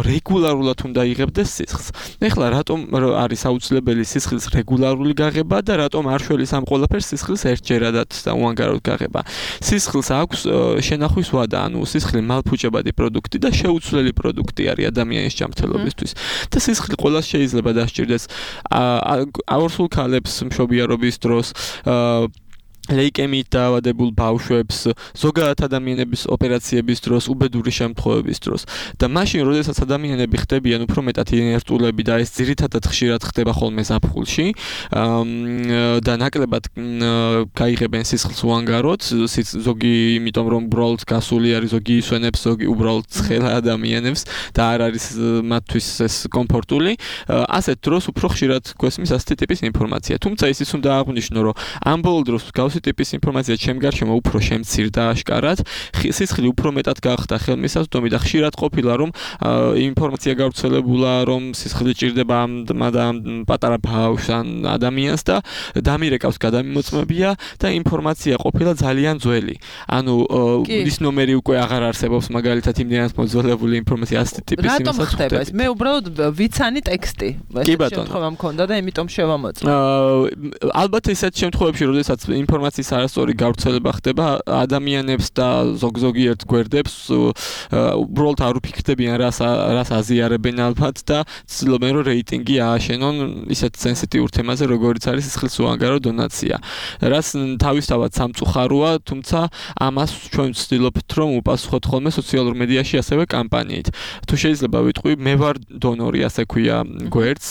რეგულარულად უნდა იღებდეს სისხლს. ეხლა რატომ არის აუცილებელი სისხლის რეგულარული გაღება და რატომ არ შველის ამ ყველაფერს სისხლის ერთჯერადად და უანგაროდ გაღება? სისხლს აქვს შენახვის ვადა, ანუ სისხლი მალფუჭებადი პროდუქტი და შეუცვლელი პროდუქტი არის ადამიანის ჯანმრთელობისთვის. და სისხლი ყველას შეიძლება დასჭირდეს აორსულ ქალებს მშობიარობის დროს, ლეიკემიით დაავადებულ ბავშვებს, ზოგადად ადამიანების ოპერაციების დროს, უბედური შემთხვევების დროს. და მაშინ, როდესაც ადამიანები ხდებიან უფრო მეტად ინერტულები და ეს ძირითადად ხშირად ხდება ხოლმე ზაფხულში და ნაკლებად გაიღებენ სისხლს უანგაროდ, ზოგი იმიტომ რომ უბრალოდ გასული არის, ზოგი ისვენებს, ზოგი უბრალოდ ცხელა ადამიანებს და არ არის მათთვის ეს კომფორტული. ასეთ დროს უფრო ხშირად გვესმის ასეთი ტიპის ინფორმაცია. თუმცა ისიც უნდა აღვნიშნო, რომ ამ ბოლო დროს გავს ტიპის ინფორმაცია ჩემ გარშემო უფრო შემცირდა აშკარად, სისხლი უფრო მეტად გახდა ხელმისაწვდომი და ხშირად ყოფილა რომ ინფორმაცია გავრცელებულა რომ სისხლი ჭირდება ამ პატარა ბავშვს ან ადამიანს და დამირეკავს გადამიმოწმებია და ინფორმაცია ყოფილა ძალიან ძველი. ანუ ის ნომერი უკვე აღარ არსებობს მაგალითად იმდენად მოძველებული ინფორმაცია ასეთი ტიპის იმასაც. რატომ ხდება ეს? მე უბრალოდ ვიცანი ტექსტი. ეს შემთხვევა მქონდა და იმიტომ შევამოწმე. ალბათ ისეთ შემთხვევებში, როდესაც ინფორმაცია ინფორმაციის არასწორი გავრცელება ხდება ადამიანებს და ზოგ-ზოგიერთ გვერდებს უბრალოდ არ უფიქრდებიან რას რას აზიარებენ ალბათ და ცდილობენ რომ რეიტინგი ააშენონ ისეთ სენსიტიურ თემაზე როგორიც არის სისხლის უანგარო დონაცია რაც თავისთავად სამწუხაროა თუმცა ამას ჩვენ ვცდილობთ რომ უპასუხოთ ხოლმე სოციალურ მედიაში ასევე კამპანიით თუ შეიძლება ვიტყვი მე ვარ დონორი ასე ქვია გვერდს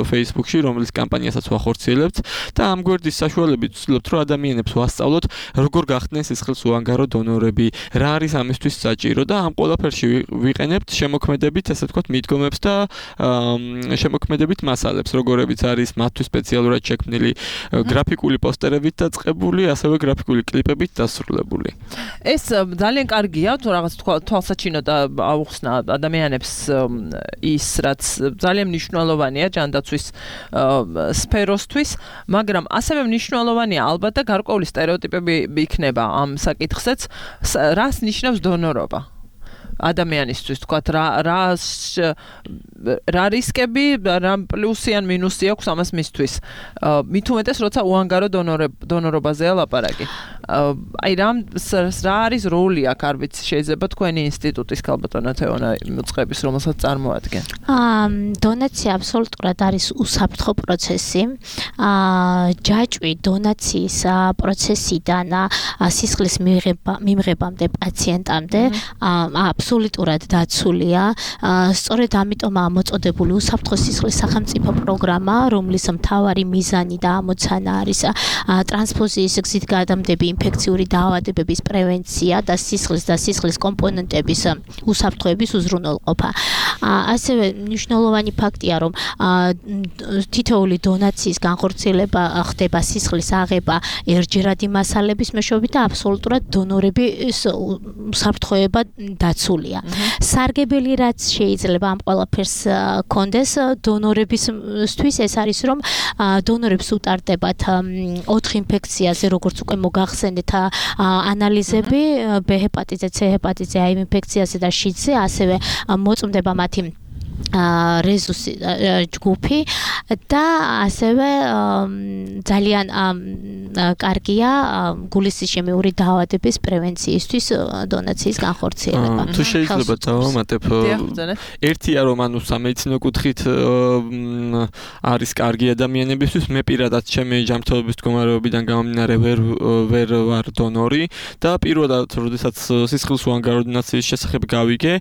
Facebook-ში რომლის კამპანიასაც ვახორციელებთ და ამ გვერდის საშუალებით ვცდილობთ რომ ადამიანებს ვასწავლოთ როგორ გახდნენ სისხლის უანგარო დონორები რა არის ამისთვის საჭირო და ამ ყველაფერში ვიყენებთ შემოქმედებით ასე ვთქვათ მიდგომებს და შემოქმედებით მასალებს როგორებიც არის მათთვის სპეციალურად შექმნილი გრაფიკული პოსტერებით დაწყებული ასევე გრაფიკული კლიპებით დასრულებული ეს ძალიან კარგია თუ რაღაც თვალსაჩინოდ აუხსნა ადამიანებს ის რაც ძალიან მნიშვნელოვანია ჯანდაცვის სფეროსთვის მაგრამ ასევე მნიშვნელოვანია ალბათ და გარკვეული სტერეოტიპები იქნება ამ საკითხზეც რას ნიშნავს დონორობა ადამიანისთვის თქვათ რა რა რა რისკები რა პლუსი ან მინუსი აქვს ამას მისთვის მით უმეტეს როცა უანგარო დონორობაზეა ლაპარაკი აი რა რა არის როლი აქ არ ვიცი შეიძლება თქვენი ინსტიტუტის ქალბატონო თეონა მოწყების რომელსაც წარმოადგენ აა დონაცია აბსოლუტურად არის უსაფრთხო პროცესი აა ჯაჭვი დონაციის პროცესიდან სისხლის მიღებამდე პაციენტამდე აბსოლუტურად დაცულია. სწორედ ამიტომაა მოწოდებული უსაფრთხო სისხლის სახელმწიფო პროგრამა, რომლის მთავარი მიზანი და ამოცანა არის ტრანსფუზიის გზით გადამდები ინფექციური დაავადებების პრევენცია და სისხლის და სისხლის კომპონენტების უსაფრთხოების უზრუნველყოფა. ასევე მნიშვნელოვანი ფაქტია, რომ თითოეული დონაციის განხორციელება ხდება სისხლის აღება ერთჯერადი მასალების მეშვეობით და აბსოლუტურად დონორების უსაფრთხოება დაცულია. სარგებელი რაც შეიძლება ამ ყველაფერს კონდეს დონორებისთვის ეს არის რომ დონორებს უტარდებათ ოთხ ინფექციაზე როგორც უკვე მოგახსენეთ ანალიზები B ჰეპატიტზე, C ჰეპატიტზე, A ინფექციაზე და შიდზე ასევე მოწმდება მათი რეზუსი ჯგუფი და ასევე ძალიან კარგია გულისშემიური დაავადების პრევენციისთვის დონაციის განხორციელება. თუ შეიძლება დავამატებ ერთია რომ ანუ სამედიცინო კუთხით არის კარგი ადამიანებისთვის მე პირადად ჩემი ჯანმრთელობის მდგომარეობიდან გამომდინარე ვერ ვერ ვარ დონორი და პირველად როდესაც სისხლის უანგარო დონაციის შესახებ გავიგე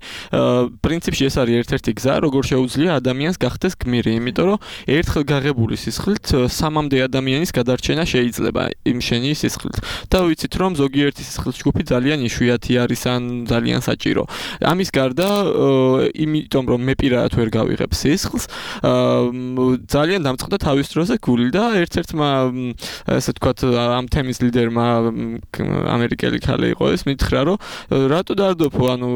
პრინციპში ეს არის ერთ-ერთი გზა როგორ შეუძლია ადამიანს გახდეს გმირი, იმიტომ რომ ერთხელ გაღებული სისხლით სამამდე ადამიანის გადარჩენა შეიძლება იმ შენი სისხლით. და ვიცით რომ ზოგიერთი სისხლის ჯგუფი ძალიან იშვიათი არის ან ძალიან საჭირო. ამის გარდა, იმიტომ რომ მე პირადად ვერ გავიღებ სისხლს, ძალიან დამწყდა თავის დროზე გული და ერთ-ერთმა ასე ვთქვათ ამ თემის ლიდერმა ამერიკელი ქალი იყო ეს მითხრა რომ რატო დაარდოფო, ანუ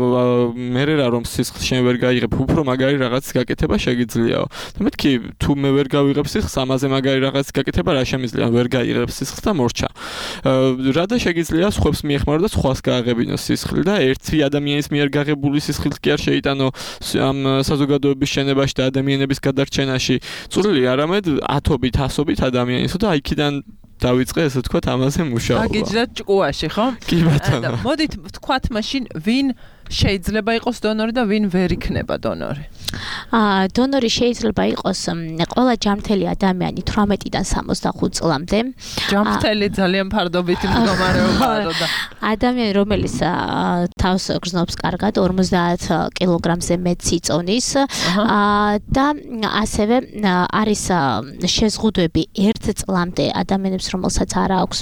მე რა რომ სისხლს შენ ვერ გაიღებ, უფრო მაგარი რაღაც გაკეთება შეგიძლიაო. და მეთქი თუ მე ვერ გავიღებ სისხლს, ამაზე მაგარი რაღაც გაკეთება რა შემიძლია, ვერ გაიღებ სისხლს და მორჩა. რა და შეგიძლია სხვებს მიეხმარო და სხვას გააღებინო სისხლი და ერთი ადამიანის მიერ გაღებული სისხლით კი არ შეიტანო ამ საზოგადოების შენებაში და ადამიანების გადარჩენაში წვლილი, არამედ ათობით, ასობით ადამიანის და აიქიდან დავიწყე ესე ვთქვათ ამაზე მუშაობა. აგიჯდათ ჭკუაში, ხო? კი ბატონო. მოდით ვთქვათ მაშინ ვინ შეიძლება იყოს დონორი და ვინ ვერ იქნება დონორი? აა დონორი შეიძლება იყოს ყველა ჯანმრთელი ადამიანი თვრამეტიდან სამოცდახუთ წლამდე. ჯანმრთელი ძალიან ფარდობითი მდგომარეობაა და ადამიანი რომელიც თავს გრძნობს კარგად ორმოცდაათ კილოგრამზე მეტ სიწონის და ასევე არის შეზღუდვები ერთ წლამდე ადამიანებს რომელსაც არ აქვს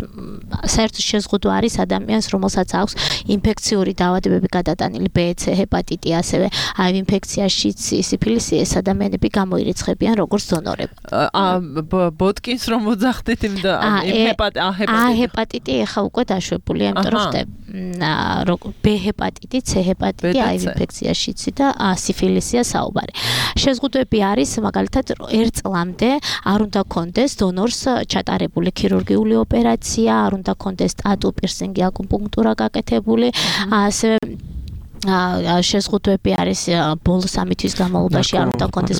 საერთოდ შეზღუდვა არის ადამიანს რომელსაც აქვს ინფექციური დაავადებები გადატანილი B, C ჰეპატიტი ასევე ჰაივ ინფექციაში სიფილისი ეს ადამიანები გამოირიცხებიან როგორც დონორები. აა ბოტკინს რომ მოძახდით იმ და იმ ჰეპატიტი A ჰეპატიტი ახლა უკვე დაშვებულია, იმიტომ რომ ხდება B ჰეპატიტი, C ჰეპატიტი, ჰაივ ინფექციაშიც და სიფილისია საუბარი. შეზღუდვები არის მაგალითად ერთ წლამდე არ უნდა კონდეს დონორს ჩატარებული ქირურგიული ოპერაცია, არ უნდა კონდეს ტატუ, პირსინგი, აკუპუნქტურა გაკეთებული, ასევე შეზღუდვები არის ბოლო სამი თვის განმავლობაში არ უნდა კონდეს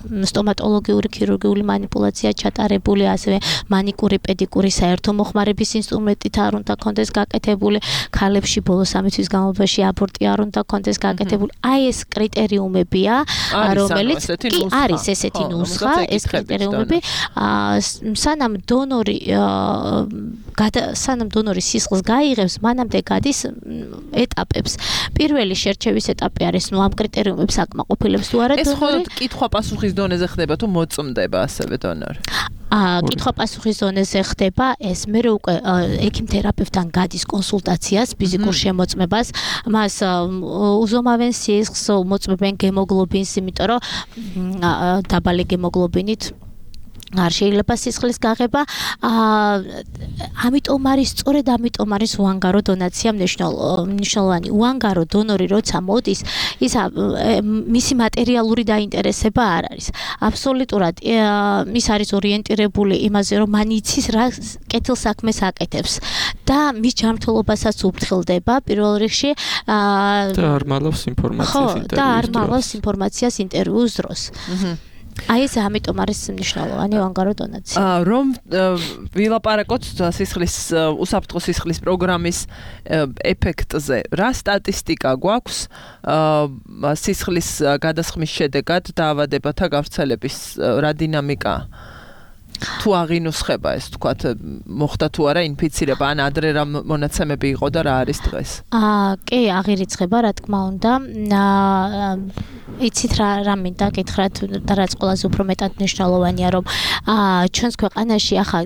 სტომატოლოგიური ქირურგიული манипуляცია ჩატარებული, ასევე მანიკური, პედიკური საერთო მოხმარების ინსტრუმენტით არ უნდა კონდეს გაკეთებული, ქალებში ბოლო სამი თვის განმავლობაში აბორტი არ უნდა კონდეს გაკეთებული. აი ეს კრიტერიუმებია, რომელიც კი არის ესეთი ნუსხა, ეს კრიტერიუმები, სანამ დონორი სანამ დონორი სისხლს გაიღებს, მანამდე გადის ეტაპებს. პირველი შერჩევის ეტაპი არის, ნუ ამ კრიტერიუმებს აკმაყოფილებს თუ არა დონორი. ეს მხოლოდ კითხვა-პასუხის დონეზე ხდება თუ მოწმდება ასევე დონორი? აა კითხვა-პასუხის ზონაზე ხდება ეს, მე უკვე ექიმ-თერაპევტთან გადის კონსულტაციას, ფიზიკურ შემოწმებას, მას უზომავენ სისხლს, მოწმებენ გემოგლობინს, იმიტომ რომ დაბალი გემოგლობინით არ შეიძლება სისხლის გაღება. ამიტომ არის, სწორედ ამიტომ არის უანგარო დონაცია მნიშვნელოვანი. უანგარო დონორი როცა მოდის, ის მისი მატერიალური დაინტერესება არ არის. აბსოლუტურად ის არის ორიენტირებული იმაზე, რომ მან იცის რა კეთილ საქმეს აკეთებს და მის ჯანმრთელობასაც უფრთხილდება პირველ რიგში და არ მალავს ინფორმაციას ინტერვიუს დროს. და არ მალავს ინფორმაციას ინტერვიუს დროს. აი ეს ამიტომ არის მნიშვნელოვანი უანგარო დონაცია. რომ ვილაპარაკოთ სისხლის უსაფრთხო სისხლის პროგრამის ეფექტზე. რა სტატისტიკა გვაქვს სისხლის გადასხმის შედეგად დაავადებათა გავრცელების რა დინამიკა? თუ აღინუსხება ეს თქვათ მოხდა თუ არა ინფიცირება ან ადრე რა მონაცემები იყო და რა არის დღეს? აა კი, აღირიცხება, რა თქმა უნდა. აა იცით რა რა მინდა გითხრათ და რაც ყველაზე უფრო მეტად მნიშვნელოვანია, რომ აა ჩვენს ქვეყანაში ახლა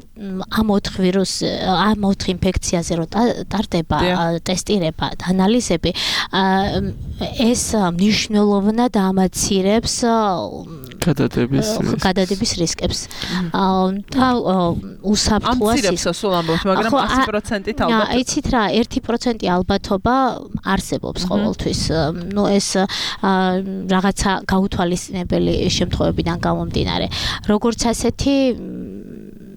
ამ ოთხ ვირუს, ამ ოთხ ინფექციაზე რო ტარდება ტესტირება, ანალიზები, ეს მნიშვნელოვნად ამაცირებს გადადების გადადების რისკებს. და უსაფრთხოა სულ ამბობთ, მაგრამ ასი პროცენტით ალბათ. იცით რა, ერთი პროცენტი ალბათობა არსებობს ყოველთვის. ნუ ეს რაღაცა გაუთვალისწინებელი შემთხვევებიდან გამომდინარე. როგორც ასეთი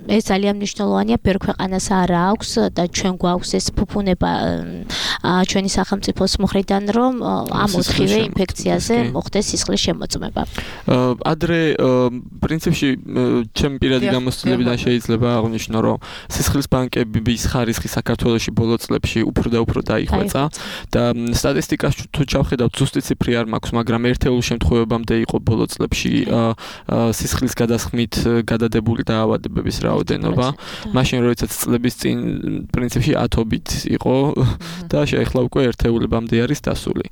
ეს ძალიან მნიშვნელოვანია, ბევრ ქვეყანას არ აქვს და ჩვენ გვაქვს ეს ფუფუნება ჩვენი სახელმწიფოს მხრიდან, რომ ამ ოთხივე ინფექციაზე მოხდეს სისხლის შემოწმება. ადრე პრინციპში ჩემი პირადი გამოცდილებიდან შეიძლება აღვნიშნო, რომ სისხლის ბანკების ხარისხი საქართველოში ბოლო წლებში უფრო და უფრო დაიხვეწა და სტატისტიკას თუ ჩავხედავთ, ზუსტი ციფრი არ მაქვს, მაგრამ ერთეულ შემთხვევებამდე იყო ბოლო წლებში სისხლის გადასხმით გადადებული დაავადებების რაოდენობა. მაშინ როდესაც წლების წინ პრინციპში ათობით იყო და შეეხლა უკვე ერთეულებამდე არის დასული.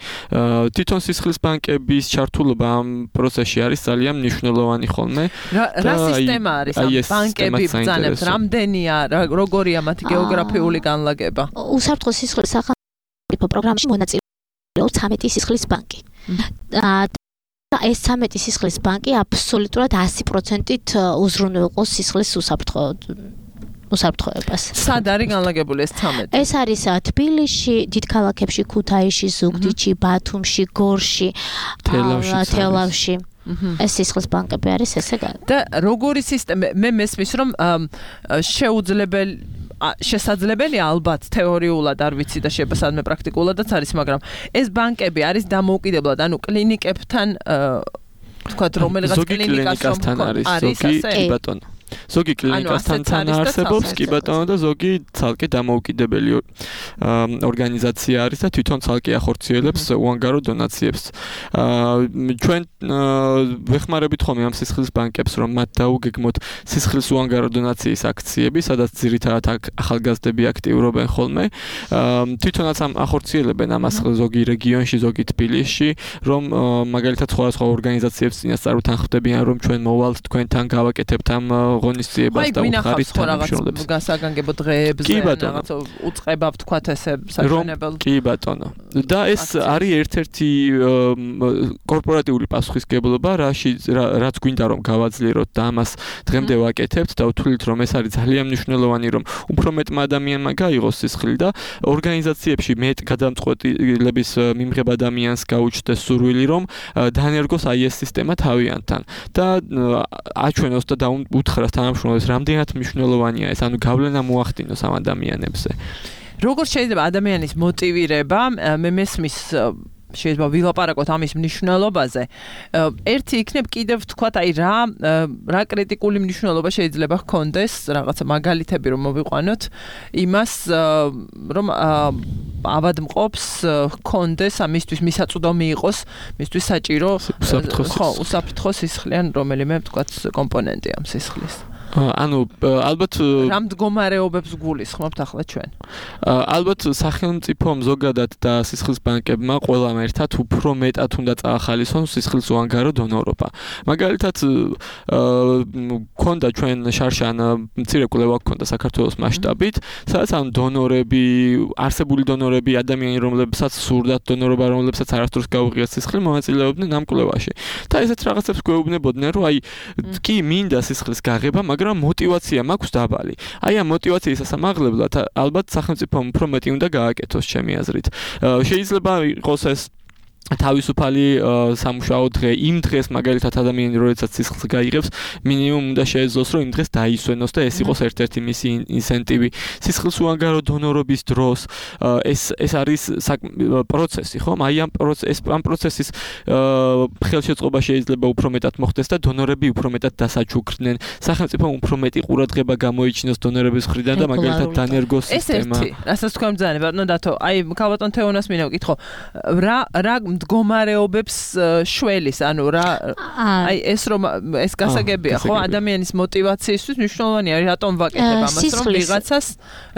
თვითონ სისხლის ბანკების ჩართულობა ამ პროცესში არის ძალიან მნიშვნელოვანი ხოლმე. რა სისტემა არის ამ ბანკები ბრძანებს? რამდენია, როგორია მათი გეოგრაფიული განლაგება? უსაფრთხო სისხლის სახელმწიფო პროგრამაში მონაწილეობს ცამეტი სისხლის ბანკი. ეს ცამეტი სისხლის ბანკი აბსოლუტურად ასი პროცენტით უზრუნველყოს სისხლის უსაფრთხო უსაფრთხოებას. სად არის განლაგებული ეს ცამეტი? ეს არის თბილისში, დიდ ქალაქებში, ქუთაისში, ზუგდიდში, ბათუმში, გორში, თელავში. ეს სისხლის ბანკები არის ესე. და როგორი სისტემა? მე მესმის, რომ შეუძლებელი შესაძლებელია ალბათ თეორიულად არ ვიცი და შეიძლება სადმე პრაქტიკულადაც არის, მაგრამ ეს ბანკები არის დამოუკიდებლად, ანუ კლინიკებთან თქვათ რომელიღაც კლინიკასთან არის, ზოგი ბატონო. ზოგი კლინიკასთან თანაარსებობს, კი ბატონო, და ზოგი ცალკე დამოუკიდებელი ორგანიზაცია არის და თვითონ ცალკე ახორციელებს უანგარო დონაციებს. ჩვენ ვეხმარებით ხოლმე ამ სისხლის ბანკებს, რომ მათ დაუგეგმოთ სისხლის უანგარო დონაციის აქციები, სადაც ძირითადად ახალგაზრდები აქტიურობენ ხოლმე. თვითონაც ამ ახორციელებენ ამას ზოგი რეგიონში, ზოგი თბილისში, რომ მაგალითად სხვადასხვა ორგანიზაციებს წინასწარ უთანხმდებიან, რომ ჩვენ მოვალთ თქვენთან, გავაკეთებთ ამ ღონისძიებას და უხარით თანამშრომლებს. გასაგანგებო დღეებზე რაღაც უწყება ვთქვათ ესე საჩვენებელ. კი ბატონო. და ეს არის ერთ-ერთი კორპორატიული პასუხისმგებლობა, რაც გვინდა რომ გავაძლიეროთ და ამას დღემდე ვაკეთებთ და ვთვლით რომ ეს არის ძალიან მნიშვნელოვანი, რომ უფრო მეტმა ადამიანმა გაიღოს სისხლი და ორგანიზაციებში მეტ გადამწყვეტილების მიმღებ ადამიანს გაუჩნდეს სურვილი, რომ დაანერგოს აი ეს სისტემა თავიანთთან და აჩვენოს და უთხრას თანამშრომლებს, რამდენად მნიშვნელოვანია ეს, ანუ გავლენა მოახდინოს ამ ადამიანებზე. როგორ შეიძლება ადამიანის მოტივირება, მე მესმის შეიძლება ვილაპარაკოთ ამის მნიშვნელობაზე. ერთი იქნებ კიდევ თქვათ, აი რა რა კრიტიკული მნიშვნელობა შეიძლება ჰქონდეს, რაღაცა მაგალითები რომ მოვიყვანოთ, იმას რომ ავადმყოფს ჰქონდეს ამისთვის მისაწვდომი იყოს, მისთვის საჭირო ხო, უსაფრთხო სისხლიან რომელიმე თქვათ კომპონენტი ამ სისხლის. ანუ ალბათ რა მდგომარეობებს გულისხმობთ ახლა ჩვენ? ალბათ სახელმწიფომ ზოგადად და სისხლის ბანკებმა ყველამ ერთად უფრო მეტად უნდა წაახალისონ სისხლის უანგარო დონორობა. მაგალითად ქონდა ჩვენ შარშან მცირე კვლევა ქონდა საქართველოს მასშტაბით, სადაც ამ დონორები, არსებული დონორები, ადამიანები, რომლებსაც სურდათ დონორობა, რომლებსაც არასდროს გაუღიათ სისხლი, მონაწილეობდნენ ამ კვლევაში. და ესეთ რაღაცებს გვეუბნებოდნენ, რომ აი კი მინდა სისხლის გაღება, მაგრამ мотивация მაქვს დაბალი. აი ამ мотивациის ასამაღლებლად ალბათ სახელმწიფომ უფრო მეტი უნდა გააკეთოს ჩემი აზრით. შეიძლება იყოს ეს თავისუფალი სამუშაო დღე იმ დღეს მაგალითად ადამიანი როდესაც სისხლს გაიღებს მინიმუმ უნდა შეეძლოს რომ იმ დღეს დაისვენოს და ეს იყოს ერთ-ერთი მისი ინსენტივი სისხლის უანგარო დონორობის დროს ეს ეს არის პროცესი ხომ აი ამ პროცეს ამ პროცესის ხელშეწყობა შეიძლება უფრო მეტად მოხდეს და დონორები უფრო მეტად დასაჩუქრდნენ სახელმწიფომ უფრო მეტი ყურადღება გამოიჩინოს დონორების მხრიდან და მაგალითად დანერგოს სისტემა ეს ერთი რასაც თქვენ ბრძანე ბატონო დათო აი ქალბატონ თეონას მინდა ვკითხო რა რა მდგომარეობებს შველის, ანუ რა აი ეს რომ ეს გასაგებია, ხო, ადამიანის мотивაციისთვის მნიშვნელოვანია, რატომ ვაკეთებ ამას, რომ ვიღაცას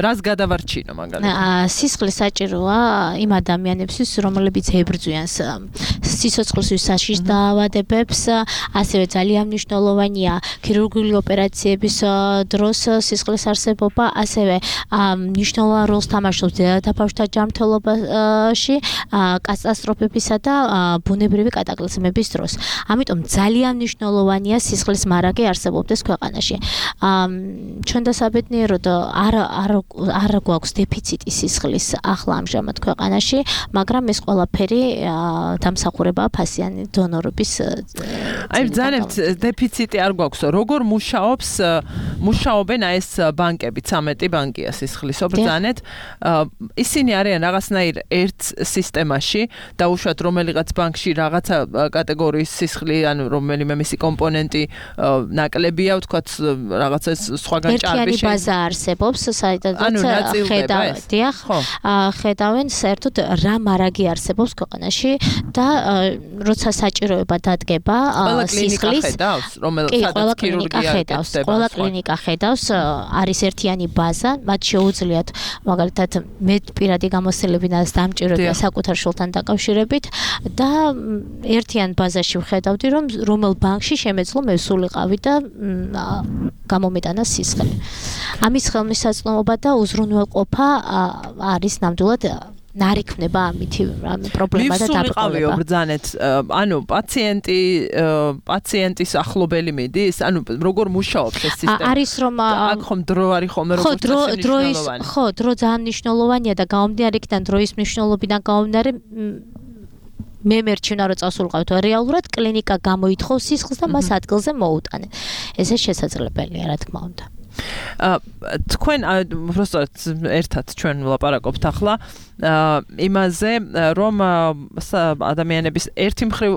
რას გადავარჩინო მაგალითად. სისხლი საჭიროა იმ ადამიანებისთვის, რომლებიც ებრძვიან სიცოცხლის საშიშ დაავადებებს, ასევე ძალიან მნიშვნელოვანია ქირურგიული ოპერაციების დროს სისხლის არსებობა, ასევე მნიშვნელოვან როლს თამაშობს დედა ბავშვთა ჯანმრთელობაში, კატასტროფების და ბუნებრივი კატაკლიზმების დროს. ამიტომ ძალიან მნიშვნელოვანია სისხლის მარაგი არსებობდეს ქვეყანაში. ჩვენ დასაბედნიეროდ არ არ არ გვაქვს დეფიციტი სისხლის ახლა ამჟამად ქვეყანაში, მაგრამ ეს ყველაფერი დამსახურებაა ფასიანი დონორობის. აი ბრძანებთ დეფიციტი არ გვაქვს. როგორ მუშაობს მუშაობენ აი ეს ბანკები, ცამეტი ბანკია სისხლისო ბრძანეთ. ისინი არიან რაღაცნაირ ერთ სისტემაში და უშუალოდ რომელიღაც ბანკში რაღაცა კატეგორიის სისხლი, ანუ რომელიმე მისი კომპონენტი ნაკლებია, ვთქვათ, რაღაცა სხვაგან ჭარბი შეიძლება. ერთიანი ბაზა არსებობს, საიდანაც ხედავდიან, ხედავენ საერთოდ რა მარაგი არსებობს ქვეყანაში და როცა საჭიროება დადგება სისხლის, რომელსაც ქირურგია ხედავს, ყველა კლინიკა ხედავს, არის ერთიანი ბაზა, მათ შეუძლიათ მაგალითად მე პირადი გამოცდილებიდან დამჭირებია საკუთარ შულთან დაკავშირებით და ერთიან ბაზაში ვხედავდი რომ რომელ ბანკში შემეძლო მე სულიყავი და გამომეტანა სისხლი. ამის ხელმისაწვდომობა და უზრუნველყოფა არის ნამდვილად ნარიქმნება ამითი პრობლემა და დაბრკოლება. ბრძანეთ, ანუ პაციენტი პაციენტის ახლობელი მიდის, ანუ როგორ მუშაობს ეს სისტემა? არის რომ აქ ხომ დრო არის ხოლმე როგორც მნიშვნელოვანი. ხო, დრო ძალიან მნიშვნელოვანია და გამომდინარე იქიდან დროის მნიშვნელობიდან გამომდინარე მე მერჩინა რომ წასულყავთ რეალურად კლინიკა გამოითხოვს სისხლს და მას ადგილზე მოუტანე. ესე შესაძლებელია რა თქმა უნდა. თქვენ უბრალოდ ერთად ჩვენ ვლაპარაკობთ ახლა იმაზე რომ ადამიანების ერთი მხრივ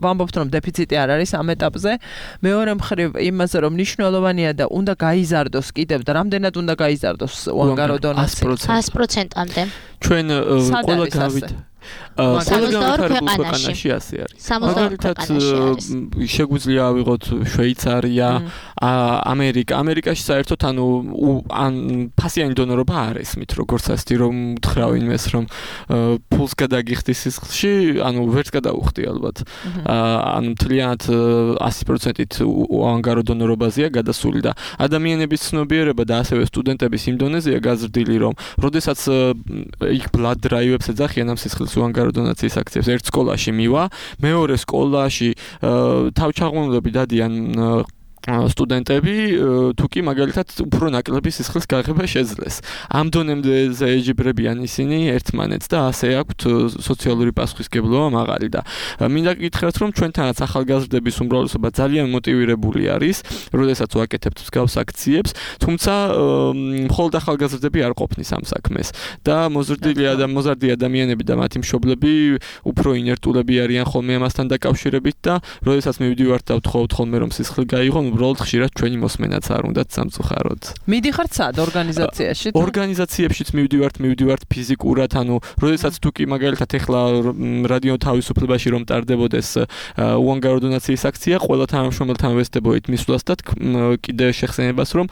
ვამბობთ რომ დეფიციტი არ არის ამ ეტაპზე, მეორე მხრივ იმაზე რომ მნიშვნელოვანია და უნდა გაიზარდოს კიდევ და რამდენად უნდა გაიზარდოს უანგარო დონაცია ას პროცენტამდე. ჩვენ ყველა გავით ყველა განვითარებულ ქვეყანაში ასე არის. მაგალითად შეგვიძლია ავიღოთ შვეიცარია, ამერიკა. ამერიკაში საერთოდ ანუ ან ფასიანი დონორობა არ ესმით, როგორც ასეთი რომ უთხრა ვინმეს რომ ფულს გადაგიხდი სისხლში, ანუ ვერც გადაუხდი ალბათ. ანუ მთლიანად ასი პროცენტით უანგარო დონორობაზეა გადასული და ადამიანების ცნობიერება და ასევე სტუდენტების იმ დონეზეა გაზრდილი რომ როდესაც იქ blood drive-ებს ეძახიან ამ სისხლის უანგარო დონაციის აქციებს ერთ სკოლაში მივა, მეორე სკოლაში თავჩაღუნლები დადიან სტუდენტები თუ კი მაგალითად უფრო ნაკლები სისხლის გაღება შეძლეს. ამ დონემდე ეჯიბრებიან ისინი ერთმანეთს და ასე აქვთ სოციალური პასუხისმგებლობა მაღალი და მინდა გითხრათ რომ ჩვენთანაც ახალგაზრდების უმრავლესობა ძალიან მოტივირებული არის, როდესაც ვაკეთებთ მსგავს აქციებს, თუმცა მხოლოდ ახალგაზრდები არ ყოფნის ამ საქმეს და მოზრდილი და მოზარდი ადამიანები და მათი მშობლები უფრო ინერტულები არიან ხოლმე ამასთან დაკავშირებით და როდესაც მივდივართ და ვთხოვთ ხოლმე რომ სისხლი გაიღო, უბრალოდ ხშირად ჩვენი მოსმენაც არ უნდათ სამწუხაროდ. მიდიხართ სად ორგანიზაციაში? ორგანიზაციებშიც მივდივართ, მივდივართ ფიზიკურად, ანუ როდესაც თუ კი მაგალითად ეხლა რადიო თავისუფლებაში რომ ტარდებოდეს უანგარო დონაციის აქცია, ყველა თანამშრომელთან ვესწრებოდით მისვლას და კიდე შეხსენებას რომ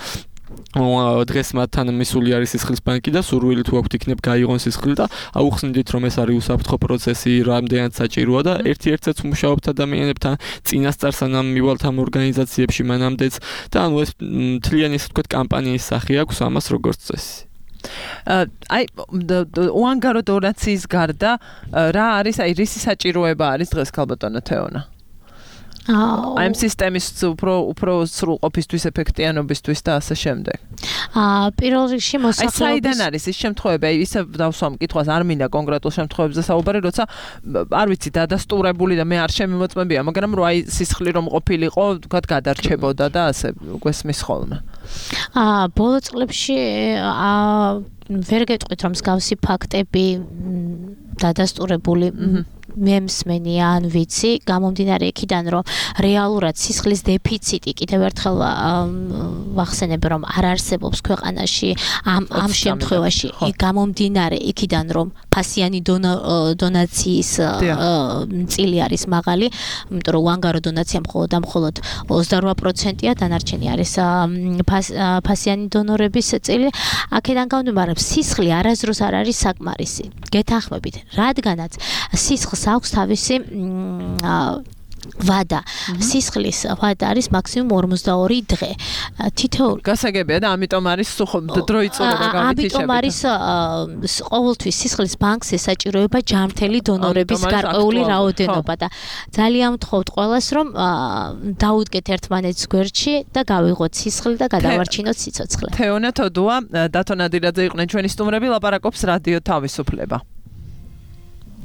დღეს მათთან მისული არის სისხლის ბანკი და სურვილი თუ აქვთ იქნებ გაიღონ სისხლი და აუხსნიდით რომ ეს არის უსაფრთხო პროცესი, რამდენად საჭიროა და ერთ-ერთსაც მუშაობთ ადამიანებთან წინასწარ სანამ მივალთ ამ ორგანიზაციებში მანამდეც და ანუ ეს მთლიანი ისე ვთქვათ კამპანიის სახე აქვს ამას როგორც წესი. აი უანგარო დონაციის გარდა რა არის, აი რისი საჭიროება არის დღეს ქალბატონო თეონა? აი ამ სისტემის უფრო უფრო სრულყოფისთვის, ეფექტიანობისთვის და ასე შემდეგ. აა პირველ რიგში მოსახლეობის აი საიდან არის ის შემთხვევები, აი ისე დავსვამ კითხვას, არ მინდა კონკრეტულ შემთხვევებზე საუბარი, როცა არ ვიცი დადასტურებული და მე არ შემიმოწმებია, მაგრამ რო აი სისხლი რომ ყოფილიყო, თქვათ გადარჩებოდა და ასე გვესმის ხოლმე. აა ბოლო წლებში აა ვერ გეტყვით რომ მსგავსი ფაქტები დადასტურებული მე მსმენი ან ვიცი, გამომდინარე იქიდან რომ რეალურად სისხლის დეფიციტი კიდევ ერთხელ ვახსენებ რომ არ არსებობს ქვეყანაში ამ ამ შემთხვევაში გამომდინარე იქიდან რომ ფასიანი დონაციის წილი არის მაღალი, იმიტომ რომ უანგარო დონაცია მხოლოდ და მხოლოდ ოცდარვა პროცენტია, დანარჩენი არის ფასიანი დონორების წილი. აქედან გამომდინარე სისხლი არასდროს არ არის საკმარისი. გეთანხმებით, რადგანაც სისხლს აქვს თავისი ვადა. სისხლის ვადა არის მაქსიმუმ ორმოცდაორი დღე. თითოეული გასაგებია და ამიტომ არის დრო იწურება გავითიშებით. ამიტომ არის ყოველთვის სისხლის ბანკს ესაჭიროება ჯანმრთელი დონორების გარკვეული რაოდენობა და ძალიან ვთხოვთ ყველას რომ დაუდგეთ ერთმანეთს გვერდში და გავიღოთ სისხლი და გადავარჩინოთ სიცოცხლე. თეონა თოდუა, დათო ნადირაძე იყვნენ ჩვენი სტუმრები, ლაპარაკობს რადიო თავისუფლება.